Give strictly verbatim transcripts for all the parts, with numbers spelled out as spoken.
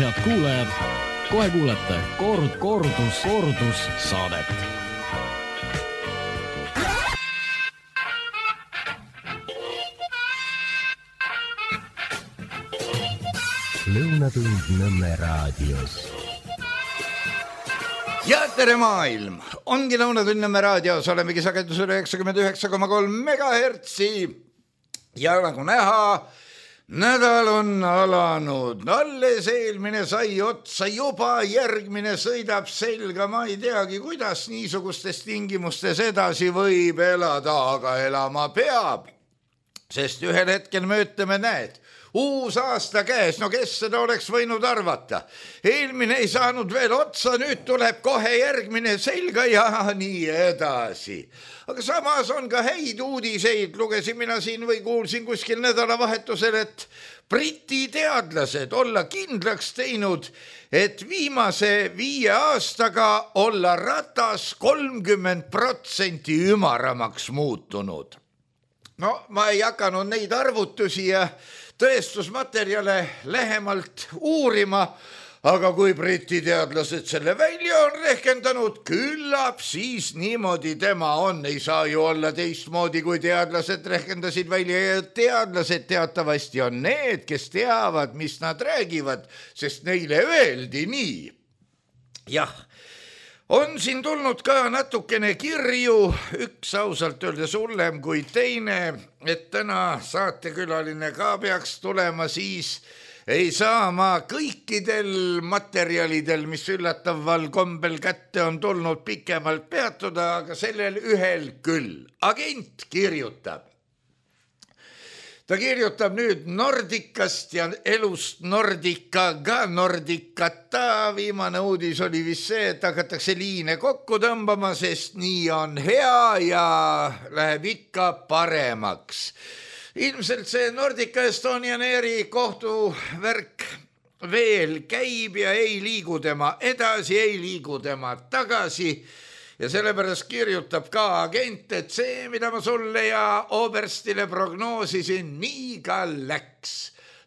Head kuulajad, kohe kuulete kord, kordus, kordus saadet. Lõunatund Nõmme raadios. Ja tere maailm! Ongi Lõunatund Nõmme raadios, olemegi sagedusel üheksakümmend üheksa koma kolm megahertsi. Ja nagu näha, nädal on alanud. Alles eelmine sai otsa, juba järgmine sõidab selga. Ma ei teagi, kuidas niisugustes tingimustes edasi võib elada, aga elama peab. Sest ühel hetkel me ütleme, näed, uus aasta käes, no kes seda oleks võinud arvata. Eelmine ei saanud veel otsa, nüüd tuleb kohe järgmine selga ja nii edasi. Aga samas on ka häid uudiseid, lugesin mina siin või kuulsin kuskil nädalavahetusel, et Briti teadlased olla kindlaks teinud, et viimase viie aastaga olla ratas kolmkümmend protsenti ümaramaks muutunud. No ma ei hakanud neid arvutusi ja tõestusmaterjale lähemalt uurima, aga kui Briti teadlased selle välja on rehkendanud, küllap siis niimoodi tema on. Ei saa ju olla teistmoodi, kui teadlased rehkendasid välja ja teadlased teatavasti on need, kes teavad, mis nad räägivad, sest neile öeldi nii. Jah, on siin tulnud ka natukene kirju, üks ausalt öeldes hullem kui teine, et täna saatekülaline ka peaks tulema, siis ei saa ma kõikidel materjalidel, mis üllataval kombel kätte on tulnud, pikemalt peatuda, aga sellel ühel küll. Agent kirjutab. Ta kirjutab nüüd Nordicast ja elust Nordicaga Nordicata. Viimane uudis oli vist see, et hakatakse liine kokku tõmbama, sest nii on hea ja läheb ikka paremaks. Ilmselt see Nordica Estonian Airi kohtuvärk veel käib ja ei liigu tema edasi, ei liigu tema tagasi. Ja sellepärast kirjutab ka agent, et see, mida ma sulle ja Oberstile prognoosisin, nii ka läks.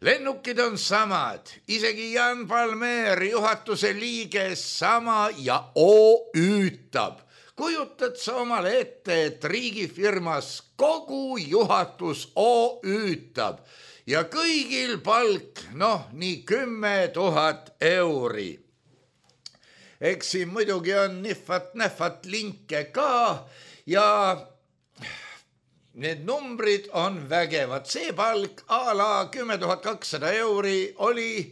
Lennukid on samad, isegi Jan Palmer, juhatuse liige, sama ja O-üütab. Kujutad sa omale ette, et riigifirmas kogu juhatus O-üütab ja kõigil palk, noh, nii kümme tuhat euri. Eks siin muidugi on nihvat-nähvat linke ka ja need numbrid on vägevad. See palk a la kümme tuhat kakssada euri oli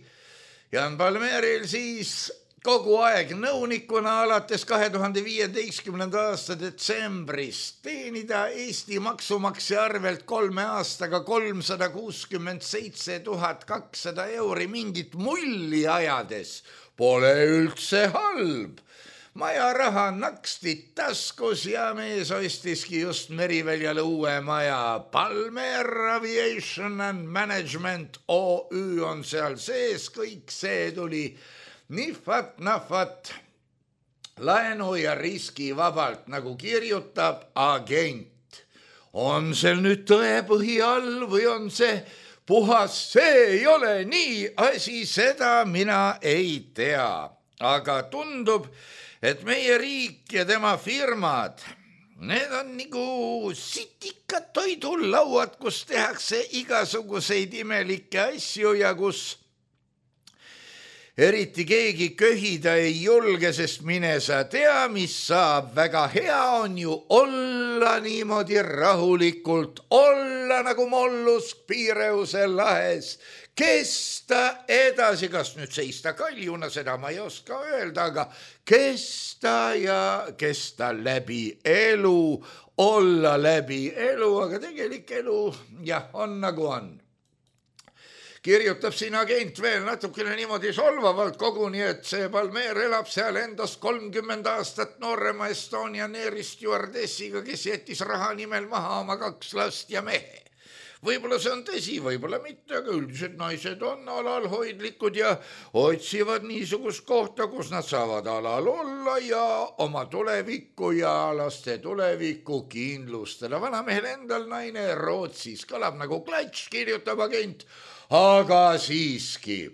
Jan Palmeril siis kogu aeg nõunikuna alates kahe tuhande viieteistkümnenda aasta detsembrist teenida Eesti maksumaksja arvelt kolme aastaga kolmsada kuuskümmend seitse tuhat kakssada euri mingit mulli ajades. Pole üldse halb. Maja raha naksti taskus ja mees ostiski just Meriväljale uue maja. Palmer Aviation and Management O Ü on seal sees, kõik see tuli nihvat-nahvat laenu ja riski vabalt, nagu kirjutab agent. On seal nüüd tõepõhi all või on see puhas, see ei ole nii asi, seda mina ei tea. Aga tundub, et meie riik ja tema firmad, need on nagu sitikad toidulauad, kus tehakse igasuguseid imelikke asju ja kus eriti keegi köhida ei julge, sest mine sa tea, mis saab. Väga hea on ju olla niimoodi rahulikult, olla nagu mollusk Piireuse lahes, kesta edasi, kas nüüd seista kaljuna, seda ma ei oska öelda, aga kesta ja kesta läbi elu, olla läbi elu, aga tegelik elu, jah, on nagu on. Kirjutab siin agent veel natukene niimoodi solvavalt koguni, et see Palmer elab seal endast kolmkümmend aastat noorema Estonian Airi stjuardessiga, kes jättis raha nimel maha oma kaks last ja mehe. Võib-olla see on tõsi, võib-olla mitte, aga üldiselt naised on alalhoidlikud ja otsivad niisugust kohta, kus nad saavad alal olla ja oma tulevikku ja laste tulevikku kindlustada. Vanamehel endal naine Rootsis kõlab nagu klats, kirjutab agent. Aga siiski,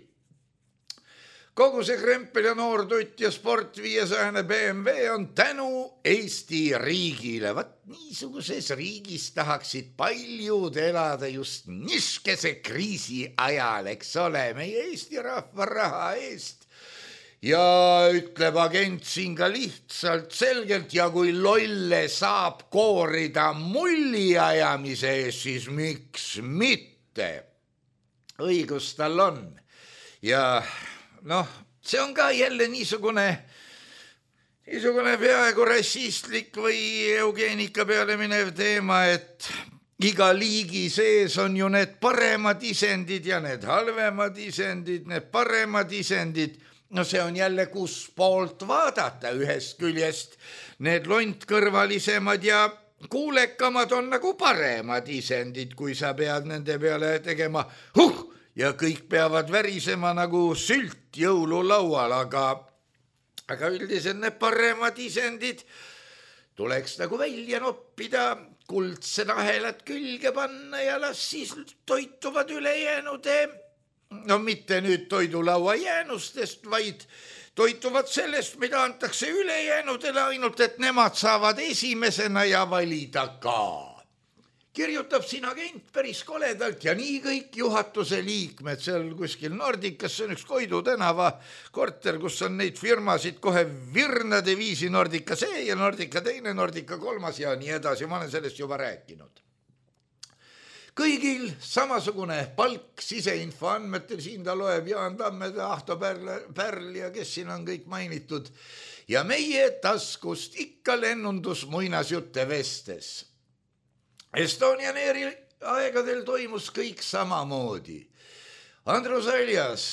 kogu see krempel ja noortutt ja sport viiesajane B M W on tänu Eesti riigile. Vat niisuguses riigis tahaksid paljud elada just niskese kriisi ajal, eks ole, meie Eesti rahva raha eest. Ja ütleb agent siin ka lihtsalt selgelt, ja kui lolle saab koorida mulli ajamise eest, siis miks mitte? Õigus tal on. Ja noh, see on ka jälle niisugune, niisugune peaaegu rassistlik või eugeenika peale minev teema, et iga liigi sees on ju need paremad isendid ja need halvemad isendid, need paremad isendid. No see on jälle kus poolt vaadata, ühest küljest need lontkõrvalisemad ja kuulekamad on nagu paremad isendid, kui sa pead nende peale tegema huh! Ja kõik peavad värisema nagu sült jõululaual, aga, aga üldiselt need paremad isendid tuleks nagu välja noppida, kuldsed ahelad külge panna ja las siis toituvad ülejäänud, no mitte nüüd toidulaua jäänustest, vaid toituvad sellest, mida antakse ülejäänudele, ainult et nemad saavad esimesena ja valida ka. Kirjutab siin agent päris koledalt ja nii kõik juhatuse liikmed seal kuskil Nordicas, see on üks Koidu tänava korter, kus on neid firmasid kohe virnade viisi, Nordica see ja Nordica teine, Nordica kolmas ja nii edasi, ma olen sellest juba rääkinud. Kõigil samasugune palk siseinfo andmetel, siin ta loeb Jaan Tammed, Ahto Pärl, Pärl ja kes siin on kõik mainitud ja meie taskust ikka lennundus muinasjutte vestes. Estonian Airi aegadel toimus kõik samamoodi. Andrus Aljas,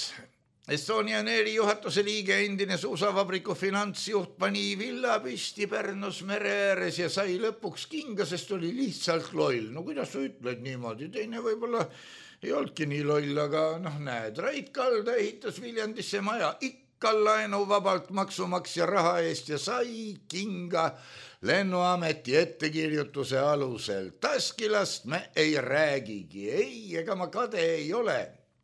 Estonian Airi juhatuse liige, endine suusavabriku finantsjuht, pani villa püsti Pärnus mere ääres ja sai lõpuks kinga, sest oli lihtsalt loll. No kuidas sa ütled niimoodi? Teine võib-olla ei olnudki nii loll, aga noh näed, Rait Kalda ehitas Viljandisse maja ikka laenu vabalt maksumaksja raha eest ja sai kinga lennuameti ettekirjutuse alusel. Taskilast me ei räägigi, ei, ega ma kade ei ole,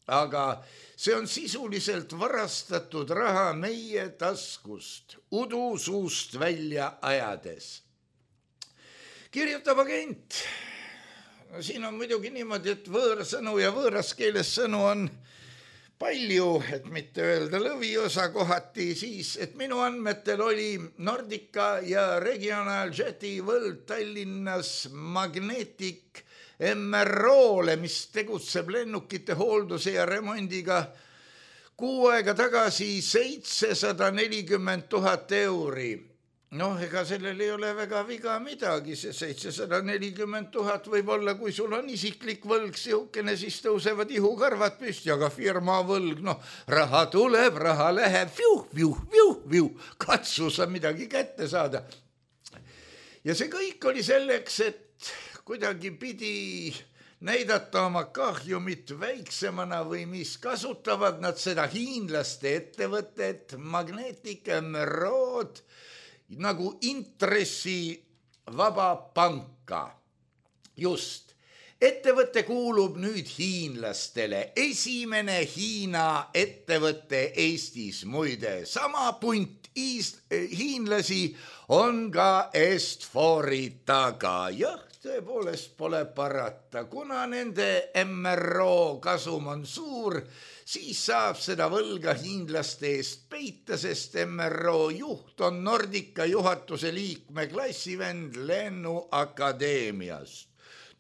aga see on sisuliselt varastatud raha meie taskust, udu suust välja ajades. Kirjutab agent. No, siin on muidugi niimoodi, et võõrsõnu ja võõras keeles sõnu on palju, et mitte öelda lõviosa kohati, siis, et minu andmetel oli Nordica ja Regional Jeti võld Tallinnas Magnetic M R O-le, mis tegutseb lennukite hoolduse ja remondiga kuu aega tagasi seitsesada nelikümmend tuhat euri. Noh, ega sellel ei ole väga viga midagi, see seitsesada nelikümmend tuhat võib olla, kui sul on isiklik võlg siukene, siis tõusevad ihukarvad püsti, aga firma võlg, noh, raha tuleb, raha läheb, viuh, viuh, viuh, viuh, katsu sa midagi kätte saada. Ja see kõik oli selleks, et kuidagi pidi näidata oma kahjumit väiksemana või mis kasutavad nad seda hiinlaste ettevõtet, Magnetic M R O-d, nagu intressi vaba panka. Just. Ettevõte kuulub nüüd hiinlastele. Esimene Hiina ettevõte Eestis, muide. Sama punt hiinlasi on ka Est-Fori taga. Jah, tõepoolest pole parata. Kuna nende M R O kasum on suur, siis saab seda võlga hiinlaste eest peita, sest M R O juht on Nordica juhatuse liikme klassivend lennuakadeemiast.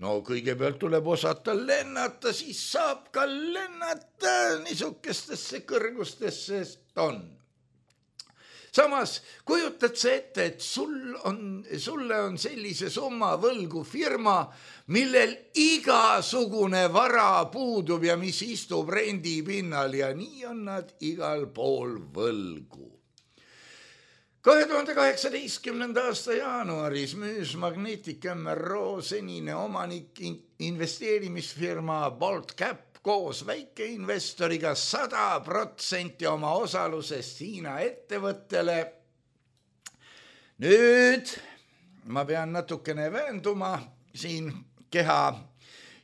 No kõigepealt tuleb osata lennata, siis saab ka lennata niisugustesse kõrgustesse, sest on. Samas kujutad sa ette, et sul on, sulle on sellise summa võlgu firma, millel igasugune vara puudub ja mis istub rendipinnal ja nii on nad igal pool võlgu. kahe tuhande kaheksateistkümnenda aasta jaanuaris müüs Magnetic M R O senine omanik investeerimisfirma Bolt Cap koos väikeinvestoriga sada protsenti oma osalusest Hiina ettevõttele. Nüüd ma pean natukene väenduma siin keha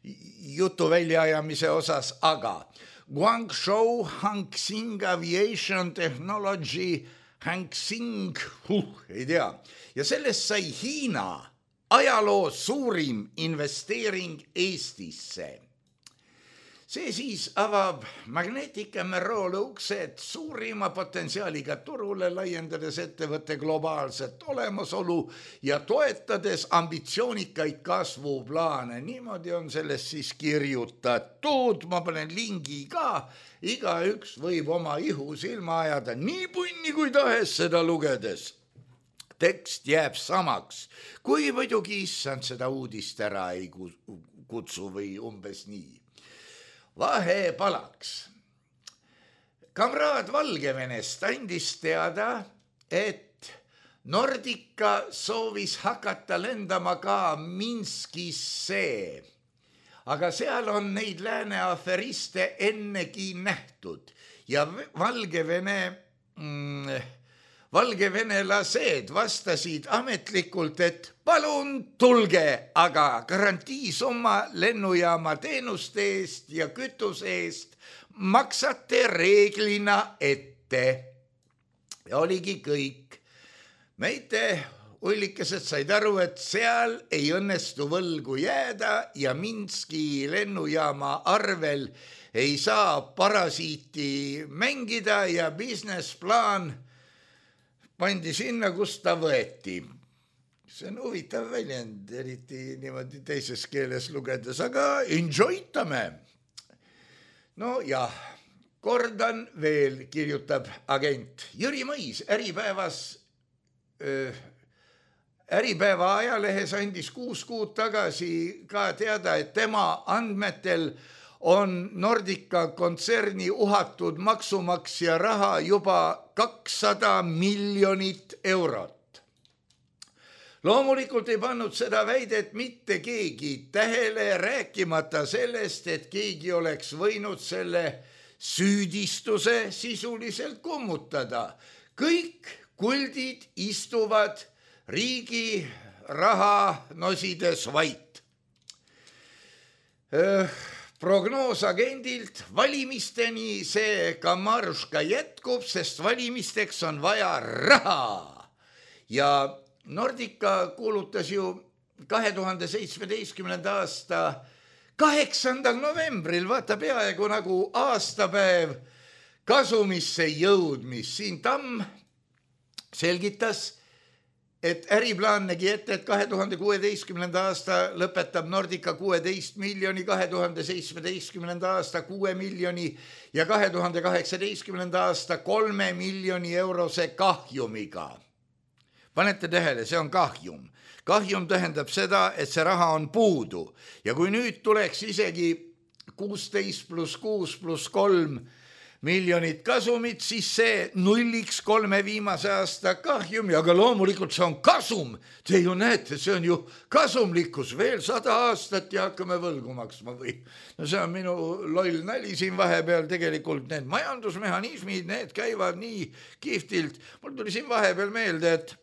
jutu väljaajamise osas, aga Guangzhou Hangsing Aviation Technology Hangsing, huh, ei tea, ja sellest sai Hiina ajaloo suurim investeering Eestisse. See siis avab Magnetic M R O-le uksed suurima potentsiaaliga turule, laiendades ettevõtte globaalset olemasolu ja toetades ambitsioonikaid kasvuplaane. Niimoodi on sellest siis kirjutatud, ma panen lingi ka, igaüks võib oma ihu silma ajada nii punni kui tahes seda lugedes. Tekst jääb samaks, kui muidugi issand seda uudist ära ei kutsu või umbes nii. Vahe palaks. Kamraad Valgevenest andis teada, et Nordica soovis hakata lendama ka Minskisse, aga seal on neid lääne aferiste ennegi nähtud ja Valgevene... Mm, Valgevenelased vastasid ametlikult, et palun tulge, aga garantiisumma lennujaama teenuste eest ja kütuse eest maksate reeglina ette. Ja oligi kõik. Meite ullikesed said aru, et seal ei õnnestu võlgu jääda ja Minski lennujaama arvel ei saa parasiiti mängida ja businessplaan pandi sinna, kus ta võeti. See on huvitav väljend, eriti niimoodi teises keeles lugedes, aga enjoytame. No ja, kordan veel, kirjutab agent Jüri Mõis Äripäevas, äh, Äripäeva ajalehes andis kuus kuud tagasi ka teada, et tema andmetel on Nordica kontserni uhatud maksumaksja raha juba kakssada miljonit eurot. Loomulikult ei pannud seda väidet mitte keegi tähele, rääkimata sellest, et keegi oleks võinud selle süüdistuse sisuliselt kummutada. Kõik kuldid istuvad riigi raha nosides vait. Öö, Prognoos agendilt valimisteni see kamaruška jätkub, sest valimisteks on vaja raha. Ja Nordica kuulutas ju kahe tuhande seitsmeteistkümnenda aasta kaheksandal novembril, vaata peaaegu nagu aastapäev kasumisse jõudmis. Siin Tamm selgitas, et äriplaan nägi ette, et kahe tuhande kuueteistkümnenda aasta lõpetab Nordica kuueteist miljoni, kahe tuhande seitsmeteistkümnenda aasta kuue miljoni ja kahe tuhande kaheksateistkümnenda aasta kolme miljoni eurose kahjumiga. Panete tähele, see on kahjum. Kahjum tähendab seda, et see raha on puudu ja kui nüüd tuleks isegi kuusteist pluss kuus pluss kolm miljonit kasumit, siis see nulliks kolme viimase aasta kahjumi, aga loomulikult see on kasum. Te ju näete, see on ju kasumlikkus, veel sada aastat ja hakkame võlgu maksma või. No see on minu loll nali siin vahepeal, tegelikult need majandusmehhanismid, need käivad nii kihvtilt. Mul tuli siin vahepeal meelde, et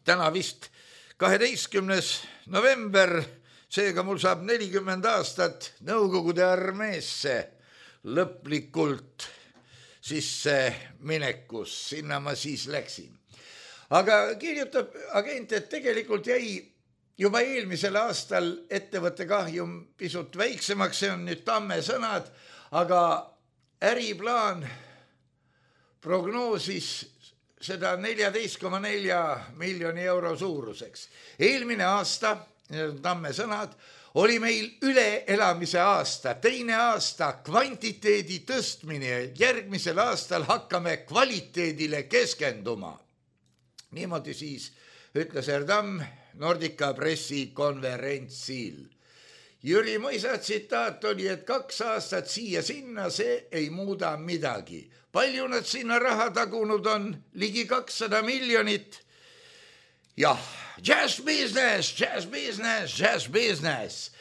täna vist kaheteistkümnes november, seega mul saab nelikümmend aastat Nõukogude armeesse lõplikult sisse minekus, sinna ma siis läksin. Aga kirjutab agent, et tegelikult jäi juba eelmisel aastal ettevõtte kahjum pisut väiksemaks, see on nüüd Tamme sõnad, aga äriplaan prognoosis seda neljateist koma nelja miljoni euro suuruseks. Eelmine aasta, Tamme sõnad, oli meil üleelamise aasta, teine aasta kvantiteedi tõstmine, järgmisel aastal hakkame kvaliteedile keskenduma. Niimoodi siis ütles Erdam Nordica pressikonverentsil. Jüri Mõisa tsitaat oli, et kaks aastat siia sinna, see ei muuda midagi. Palju nad sinna raha tagunud on? Ligi kakssada miljonit. Jah, jazz business, jazz business, jazz business.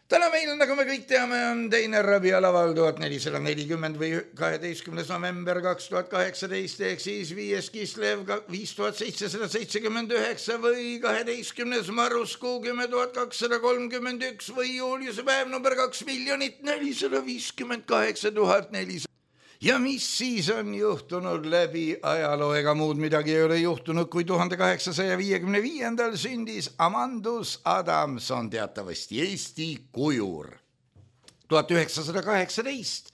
Täna meil, nagu me kõik teame, on teine Rabia laval tuhat nelisada nelikümmend või kaheteistkümnes november kaks tuhat kaheksateist ehk siis viies Kislev viis tuhat seitsesada seitsekümmend üheksa või kaheteistkümnes Maruskuu kümme tuhat kakssada kolmkümmend üks või Juliuse päev number kaks miljonit nelisada viiskümmend kaheksa tuhat nelisada. Ja mis siis on juhtunud läbi ajaloo, ega muud midagi ei ole juhtunud, kui tuhande kaheksasaja viiekümne viiendal sündis Amandus Adamson, teatavasti Eesti kujur. tuhat üheksasada kaheksateist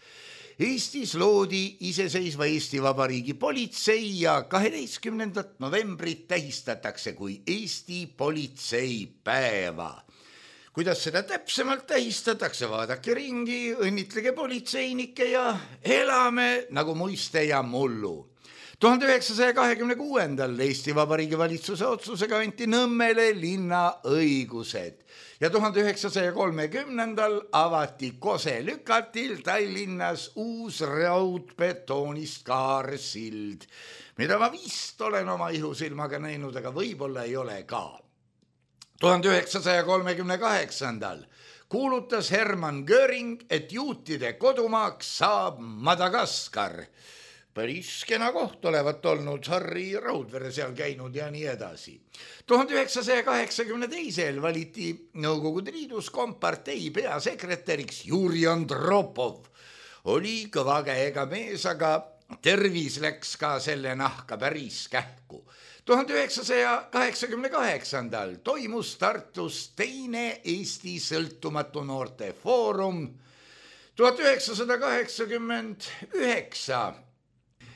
Eestis loodi iseseisva Eesti Vabariigi politsei ja kaheteistkümnendat novembrit tähistatakse kui Eesti politseipäeva. Kuidas seda täpsemalt tähistatakse, vaadake ringi, õnnitlege politseinikke ja elame nagu muiste ja mullu. tuhande üheksasaja kahekümne kuuendal Eesti Vabariigi valitsuse otsusega anti Nõmmele linna õigused ja tuhande üheksasaja kolmekümnendal avati Kose lükatil Tallinnas uus raudbetoonist kaarsild, mida ma vist olen oma ihusilmaga näinud, aga võib-olla ei ole ka. tuhande üheksasaja kolmekümne kaheksandal kuulutas Hermann Göring, et juutide kodumaaks saab Madagaskar. Päris kena koht olevat olnud, Harri Raudvere seal käinud ja nii edasi. tuhande üheksasaja kaheksakümne teisel valiti Nõukogude Liidus kompartei peasekretäriks Juri Andropov. Oli kõva käega mees, aga tervis läks ka selle nahka päris kähku. tuhande üheksasaja kaheksakümne kaheksandal toimus Tartus teine Eesti sõltumatu noorte foorum. tuhat üheksasada kaheksakümmend üheksa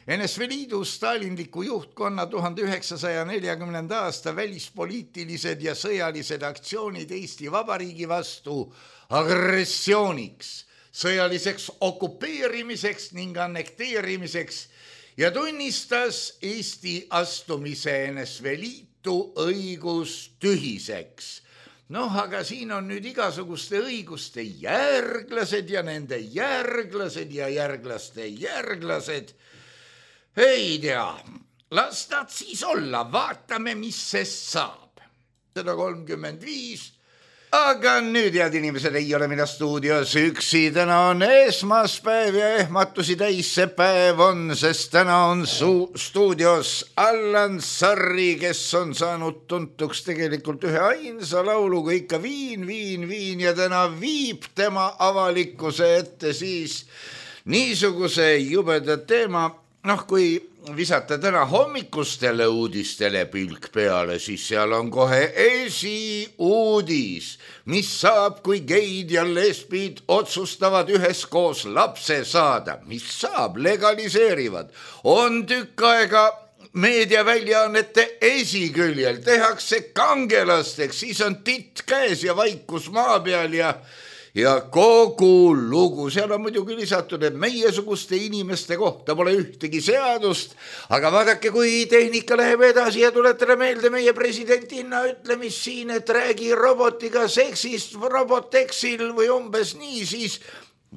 N S V Liidu stalinliku juhtkonna tuhande üheksasaja neljakümnenda aasta välispoliitilised ja sõjalised aktsioonid Eesti Vabariigi vastu agressiooniks, sõjaliseks okupeerimiseks ning annekteerimiseks ja tunnistas Eesti astumise N S V Liitu õigustühiseks. Noh, aga siin on nüüd igasuguste õiguste järglased ja nende järglased ja järglaste järglased. Ei tea, las nad siis olla, vaatame, mis sest saab. sada kolmkümmend viis Aga nüüd, head inimesed, ei ole mina stuudios üksi, täna on esmaspäev ja ehmatusi täis see päev on, sest täna on su- stuudios Allan Sarri, kes on saanud tuntuks tegelikult ühe ainsa lauluga ikka viin, viin, viin ja täna viib tema avalikkuse ette siis niisuguse jubeda teema. Noh, kui visata täna hommikustele uudistele pilk peale, siis seal on kohe esiuudis, mis saab, kui geid ja lesbid otsustavad üheskoos lapse saada. Mis saab, legaliseerivad. On tükk aega meediaväljaannete esiküljel, tehakse kangelasteks, siis on titt käes ja vaikus maa peal ja Ja kogu lugu, seal on muidugi lisatud, et meiesuguste inimeste kohta pole ühtegi seadust, aga vaadake, kui tehnika läheb edasi ja tuletada meelde meie presidentinna ütlemist siin, et räägi robotiga seksist roboteksil või umbes nii, siis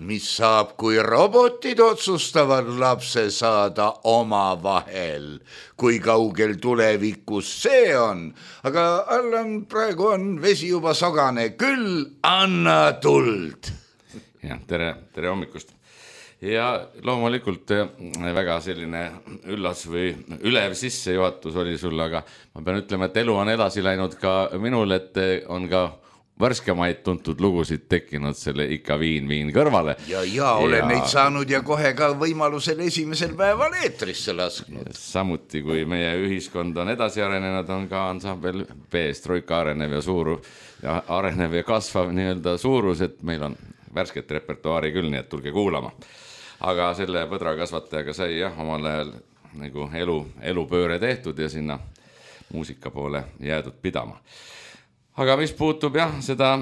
mis saab, kui robotid otsustavad lapse saada oma vahel, kui kaugel tulevikus see on. Aga Allan, praegu on vesi juba sogane, küll anna tuld. Ja, tere, tere hommikust. Ja loomulikult väga selline üllas või ülev sissejuhatus oli sul, aga ma pean ütlema, et elu on edasi läinud ka minul, et on ka värskemaid tuntud lugusid tekkinud selle ikka viin, viin kõrvale. Ja, ja olen ja... neid saanud ja kohe ka võimalusel esimesel päeval eetrisse lasknud. Samuti, kui meie ühiskond on edasi arenenud, on ka ansambel B-st Troika arenev ja suuru ja arenev ja kasvav nii-öelda suurus, et meil on värsket repertuaari küll, nii et tulge kuulama. Aga selle põdrakasvatajaga sai jah, omal ajal nagu elu, elupööre tehtud ja sinna muusika poole jäädud pidama. Aga mis puutub jah, seda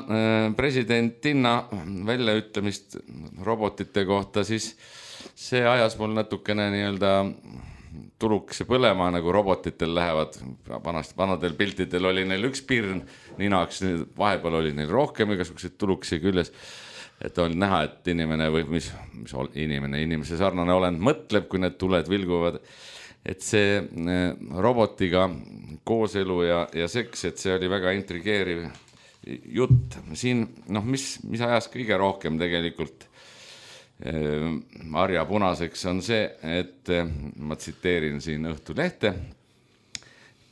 presidentinna väljaütlemist robotite kohta, siis see ajas mul natukene nii-öelda tuluks põlema, nagu robotitel lähevad. Vanast, vanadel piltidel oli neil üks pirn ninaks, vahepeal oli neil rohkem igasugused tuluksi küljes. Et oli näha, et inimene või mis, mis inimene, inimese sarnane olend mõtleb, kui need tuled vilguvad. Et see robotiga kooselu ja, ja seks, et see oli väga intrigeeriv jutt siin, noh, mis, mis ajas kõige rohkem tegelikult Marja punaseks on see, et ma tsiteerin siin Õhtulehte.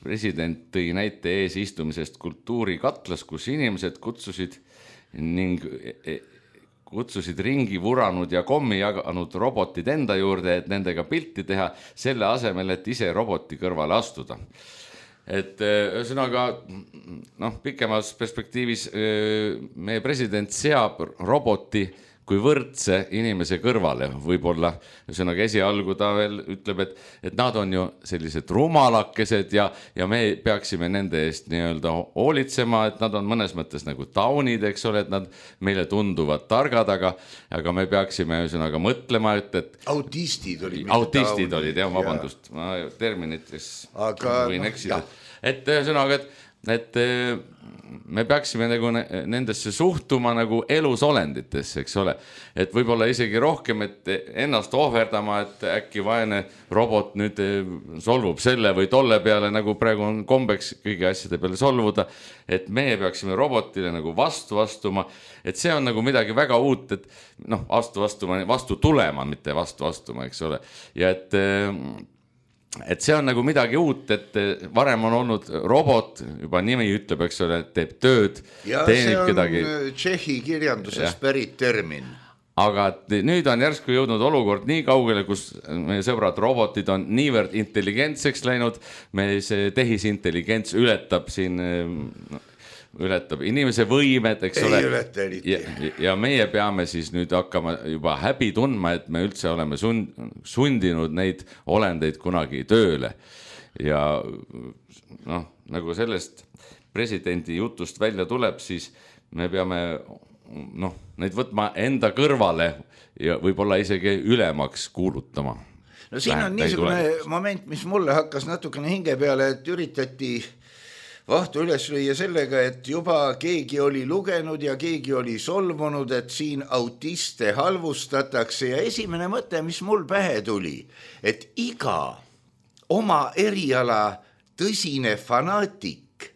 President tõi näite ees istumisest kultuurikatlas, kus inimesed kutsusid ning kutsusid ringi vuranud ja kommi jaganud robotid enda juurde, et nendega pilti teha selle asemel, et ise roboti kõrvale astuda. Et ühesõnaga, noh, pikemas perspektiivis meie president seab roboti kui võrdse inimese kõrvale, võib-olla ühesõnaga esialgu ta veel ütleb, et, et nad on ju sellised rumalakesed ja, ja me peaksime nende eest nii-öelda hoolitsema, et nad on mõnes mõttes nagu taunid, eks ole, et nad meile tunduvad targad, aga, aga me peaksime ühesõnaga mõtlema, et, et autistid olid. Autistid taunid, olid, jah, vabandust, ma terminites aga, võin eksida. Et ühesõnaga, et et me peaksime nagu nendesse suhtuma nagu elusolenditesse, eks ole, et võib-olla isegi rohkem, et ennast ohverdama, et äkki vaene robot nüüd solvub selle või tolle peale, nagu praegu on kombeks kõigi asjade peale solvuda, et meie peaksime robotile nagu vastu vastuma, et see on nagu midagi väga uut, et noh, vastu vastuma, vastu tulema, mitte vastu vastuma, eks ole, ja et et see on nagu midagi uut, et varem on olnud robot, juba nimi ütleb, eks ole, teeb tööd, ja teenib kedagi. Ja see on Tšehhi kirjandusest pärit termin. Aga nüüd on järsku jõudnud olukord nii kaugele, kus meie sõbrad robotid on niivõrd intelligentseks läinud, me see tehisintelligents ületab siin ületab inimese võimed, eks ei ole. Ületa eriti. Ja, ja meie peame siis nüüd hakkama juba häbi tundma, et me üldse oleme sund, sundinud neid olendeid kunagi tööle. Ja noh, nagu sellest presidendi jutust välja tuleb, siis me peame noh, neid võtma enda kõrvale ja võib-olla isegi ülemaks kuulutama. No siin on niisugune moment, mis mulle hakkas natukene hinge peale, et üritati vahtu üles lüüa sellega, et juba keegi oli lugenud ja keegi oli solvunud, et siin autiste halvustatakse ja esimene mõte, mis mul pähe tuli, et iga oma eriala tõsine fanaatik,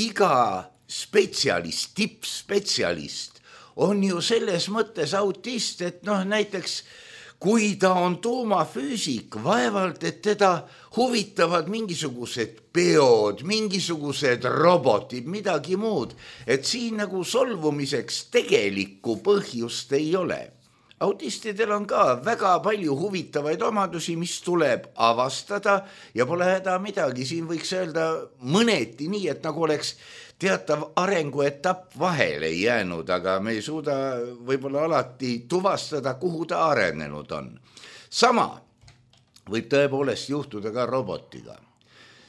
iga spetsialist, tippspetsialist on ju selles mõttes autist, et noh, näiteks kui ta on tuumafüüsik, vaevalt, et teda huvitavad mingisugused peod, mingisugused robotid, midagi muud, et siin nagu solvumiseks tegelikku põhjust ei ole. Autistidel on ka väga palju huvitavaid omadusi, mis tuleb avastada ja pole häda midagi. Siin võiks öelda mõneti nii, et nagu oleks teatav arenguetapp vahele jäänud, aga me ei suuda võib-olla alati tuvastada, kuhu ta arenenud on. Sama võib tõepoolest juhtuda ka robotiga,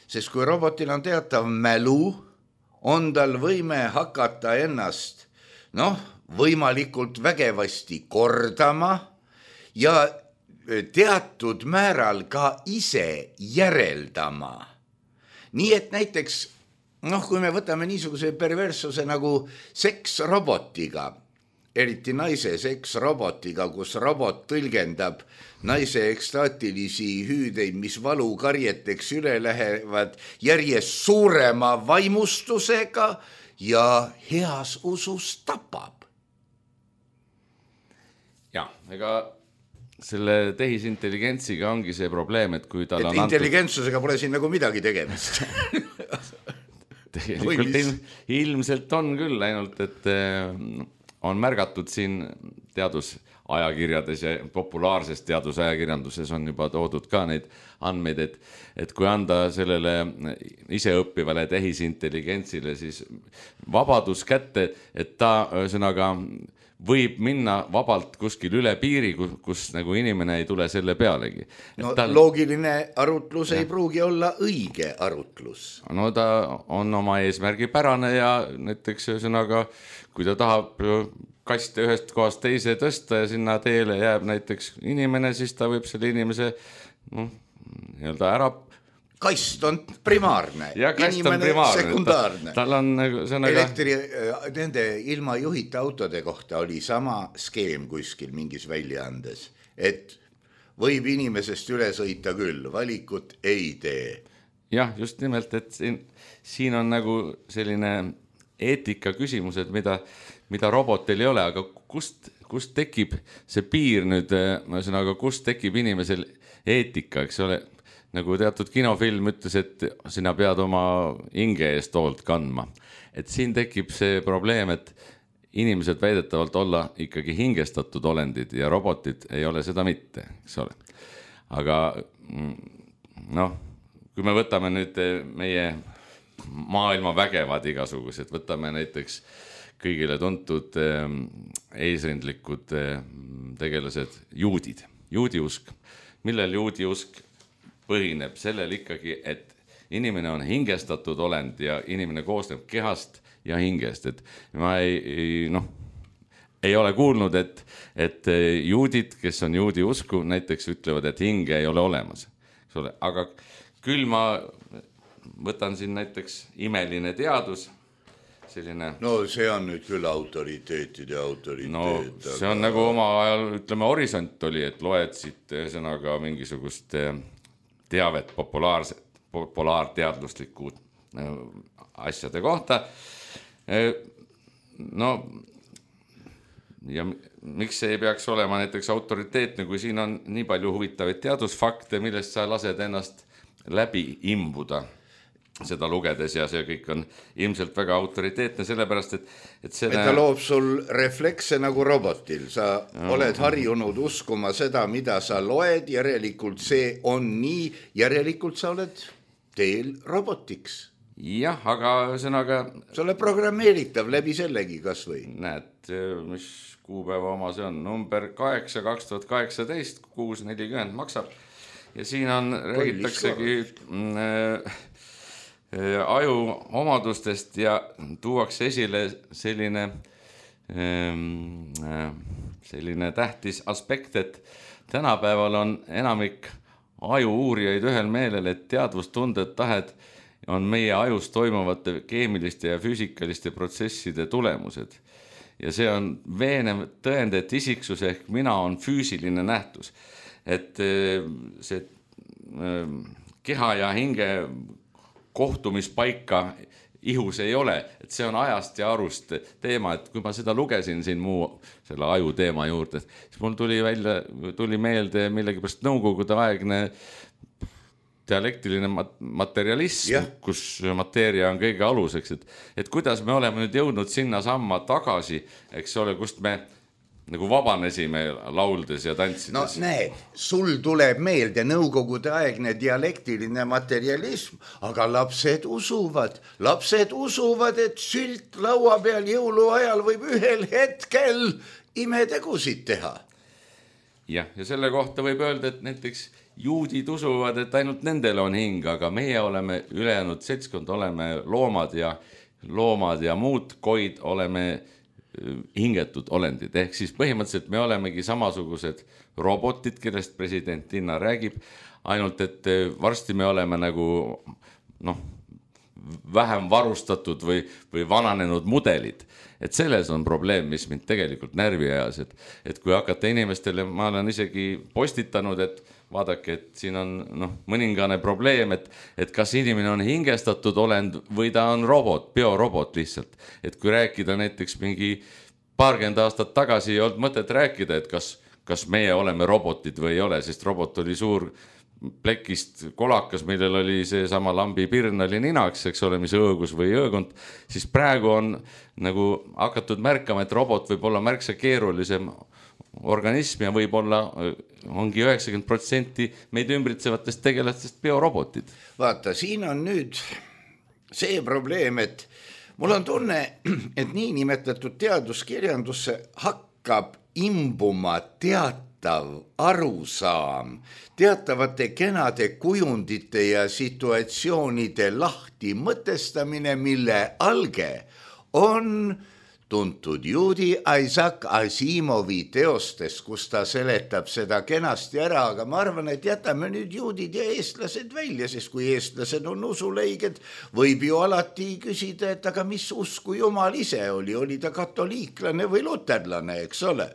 sest kui robotil on teatav mälu, on tal võime hakata ennast noh, võimalikult vägevasti kordama ja teatud määral ka ise järeldama. Nii et näiteks, noh, kui me võtame niisuguse perverssuse nagu seks robotiga, eriti naise seks robotiga, kus robot tõlgendab naise ekstaatilisi hüüdeid, mis valukarjeteks üle lähevad järjest suurema vaimustusega ja heas usus tapab. Ja, ega selle tehisintelligentsiga ongi see probleem, et kui tal et on antud... intelligentsusega pole siin nagu midagi tegemist. Tegelikult ilm, ilmselt on küll, ainult et on märgatud siin teadusajakirjades ja populaarses teadusajakirjanduses on juba toodud ka neid andmeid, et, et kui anda sellele iseõppivale tehisintelligentsile siis vabadus kätte, et ta ühesõnaga võib minna vabalt kuskil üle piiri, kus, kus nagu inimene ei tule selle pealegi. No tal... loogiline arutlus ja. Ei pruugi olla õige arutlus. No ta on oma eesmärgi pärane ja näiteks ühesõnaga, kui ta tahab kaste ühest kohast teise tõsta ja sinna teele jääb näiteks inimene, siis ta võib selle inimese no, nii-öelda ära kast on primaarne, ja kast on primaarne. Sekundaarne. Tal on sõnaga... Elektri, nende ilma juhita autode kohta oli sama skeem kuskil mingis väljaandes, et võib inimesest üle sõita küll, valikut ei tee. Jah, just nimelt, et siin, siin on nagu selline eetika küsimused, mida, mida robotil ei ole, aga kust, kust tekib see piir nüüd, ma ütlen, aga kust tekib inimesel eetika, eks ole, nagu teatud kinofilm ütles, et sina pead oma hinge eest hoolt kandma. Et siin tekib see probleem, et inimesed väidetavalt olla ikkagi hingestatud olendid ja robotid ei ole seda mitte, eks ole. Aga noh, kui me võtame nüüd meie maailma vägevad igasugused, võtame näiteks kõigile tuntud eesrindlikud tegelased, juudid, juudiusk, millel juudiusk põhineb sellel ikkagi, et inimene on hingestatud olend ja inimene koosneb kehast ja hingest, et ma ei, ei, noh, ei ole kuulnud, et, et juudid, kes on juudi usku, näiteks ütlevad, et hinge ei ole olemas. Aga küll ma võtan siin näiteks imeline teadus, selline... No see on nüüd küll autoriteetide autoriteet. No see on aga... nagu oma ajal, ütleme, horisont oli, et loed siit sõnaga mingisugust teavet populaarset, populaarteadluslikku asjade kohta. No ja miks see ei peaks olema näiteks autoriteetne, kui siin on nii palju huvitavaid teadusfakte, millest sa lased ennast läbi imbuda seda lugedes ja see kõik on ilmselt väga autoriteetne, sellepärast, et, et selle... Et ta loob sul reflekse nagu robotil. Sa no. oled harjunud uskuma seda, mida sa loed, järelikult see on nii, järelikult sa oled teel robotiks. Jah, aga sõnaga... Sa oled programmeeritav läbi sellegi kas või? Näed, mis kuupäeva oma see on? Number kaheksa kaks tuhat kaheksateist, kuus nelikümmend maksab. Ja siin on, räägitaksegi... aju omadustest ja tuuakse esile selline, selline tähtis aspekt, et tänapäeval on enamik aju uurijaid ühel meelel, et teadvustunded tahed on meie ajus toimuvate keemiliste ja füüsikaliste protsesside tulemused. Ja see on veenev tõend, et isiksus ehk mina on füüsiline nähtus. Et see keha ja hinge kohtumispaika ihus ei ole, et see on ajast ja arust teema, et kui ma seda lugesin siin muu selle aju teema juurde, siis mul tuli välja, tuli meelde millegipärast nõukogude aegne dialektiline materialism, yeah. kus mateeria on kõige aluseks, et, et kuidas me oleme nüüd jõudnud sinna samma tagasi, eks ole, kust me nagu vabanesime lauldes ja tantsides. No näed, sul tuleb meelde nõukogude aegne dialektiline materialism, aga lapsed usuvad, lapsed usuvad, et sült laua peal jõuluajal võib ühel hetkel imetegusid teha. Jah, ja selle kohta võib öelda, et näiteks juudid usuvad, et ainult nendel on hing, aga meie oleme ülejäänud seltskond, oleme loomad ja, loomad ja muud koid oleme hingetud olendid, ehk siis põhimõtteliselt me olemegi samasugused robotid, kellest president Linna räägib, ainult et varsti me oleme nagu noh, vähem varustatud või, või vananenud mudelid. Et selles on probleem, mis mind tegelikult närvi ajas, et, et kui hakata inimestele, ma olen isegi postitanud, et vaadake, et siin on noh, mõningane probleem, et, et kas inimene on hingestatud olend või ta on robot, biorobot lihtsalt. Et kui rääkida näiteks mingi paarkümmend aastat tagasi ei olnud mõtet rääkida, et kas, kas meie oleme robotid või ei ole, sest robot oli suur plekist kolakas, millel oli see sama lambi pirn oli ninaks, eks ole, mis õõgus või õõgunt, siis praegu on nagu hakatud märkama, et robot võib olla märksa keerulisem organism ja võib-olla ongi üheksakümmend protsenti meid ümbritsevatest tegelastest biorobotid. Vaata, siin on nüüd see probleem, et mul on tunne, et nii nimetatud teaduskirjandusse hakkab imbuma teatav arusaam, teatavate kenade kujundite ja situatsioonide lahti mõtestamine, mille alge on tuntud juudi Isaac Asimovi teostes, kus ta seletab seda kenasti ära, aga ma arvan, et jätame nüüd juudid ja eestlased välja, sest kui eestlased on usuleiged, võib ju alati küsida, et aga mis usku Jumal ise oli, oli ta katoliiklane või luterlane, eks ole.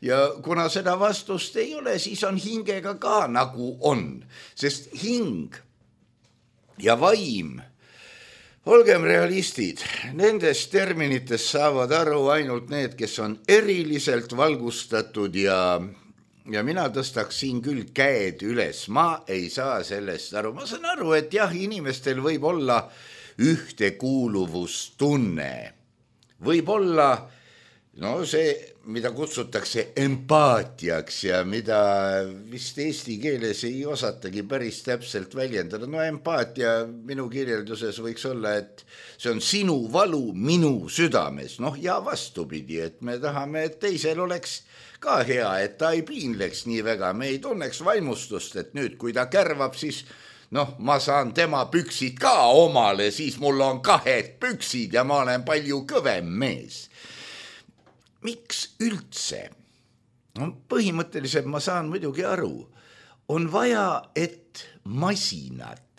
Ja kuna seda vastust ei ole, siis on hingega ka nagu on, sest hing ja vaim olgem realistid, nendest terminitest saavad aru ainult need, kes on eriliselt valgustatud ja, ja mina tõstaks siin küll käed üles. Ma ei saa sellest aru. Ma saan aru, et jah, inimestel võib olla ühtekuuluvustunne. Võib olla no see, mida kutsutakse empaatiaks ja mida vist eesti keeles ei osatagi päris täpselt väljendada. No empaatia minu kirjelduses võiks olla, et see on sinu valu minu südames. Noh ja vastupidi, et me tahame, et teisel oleks ka hea, et ta ei piinleks nii väga. Me ei tunneks vaimustust, et nüüd kui ta kärvab, siis noh, ma saan tema püksid ka omale, siis mul on kahed püksid ja ma olen palju kõvem mees. Miks üldse? No, põhimõtteliselt ma saan muidugi aru. On vaja, et masinad,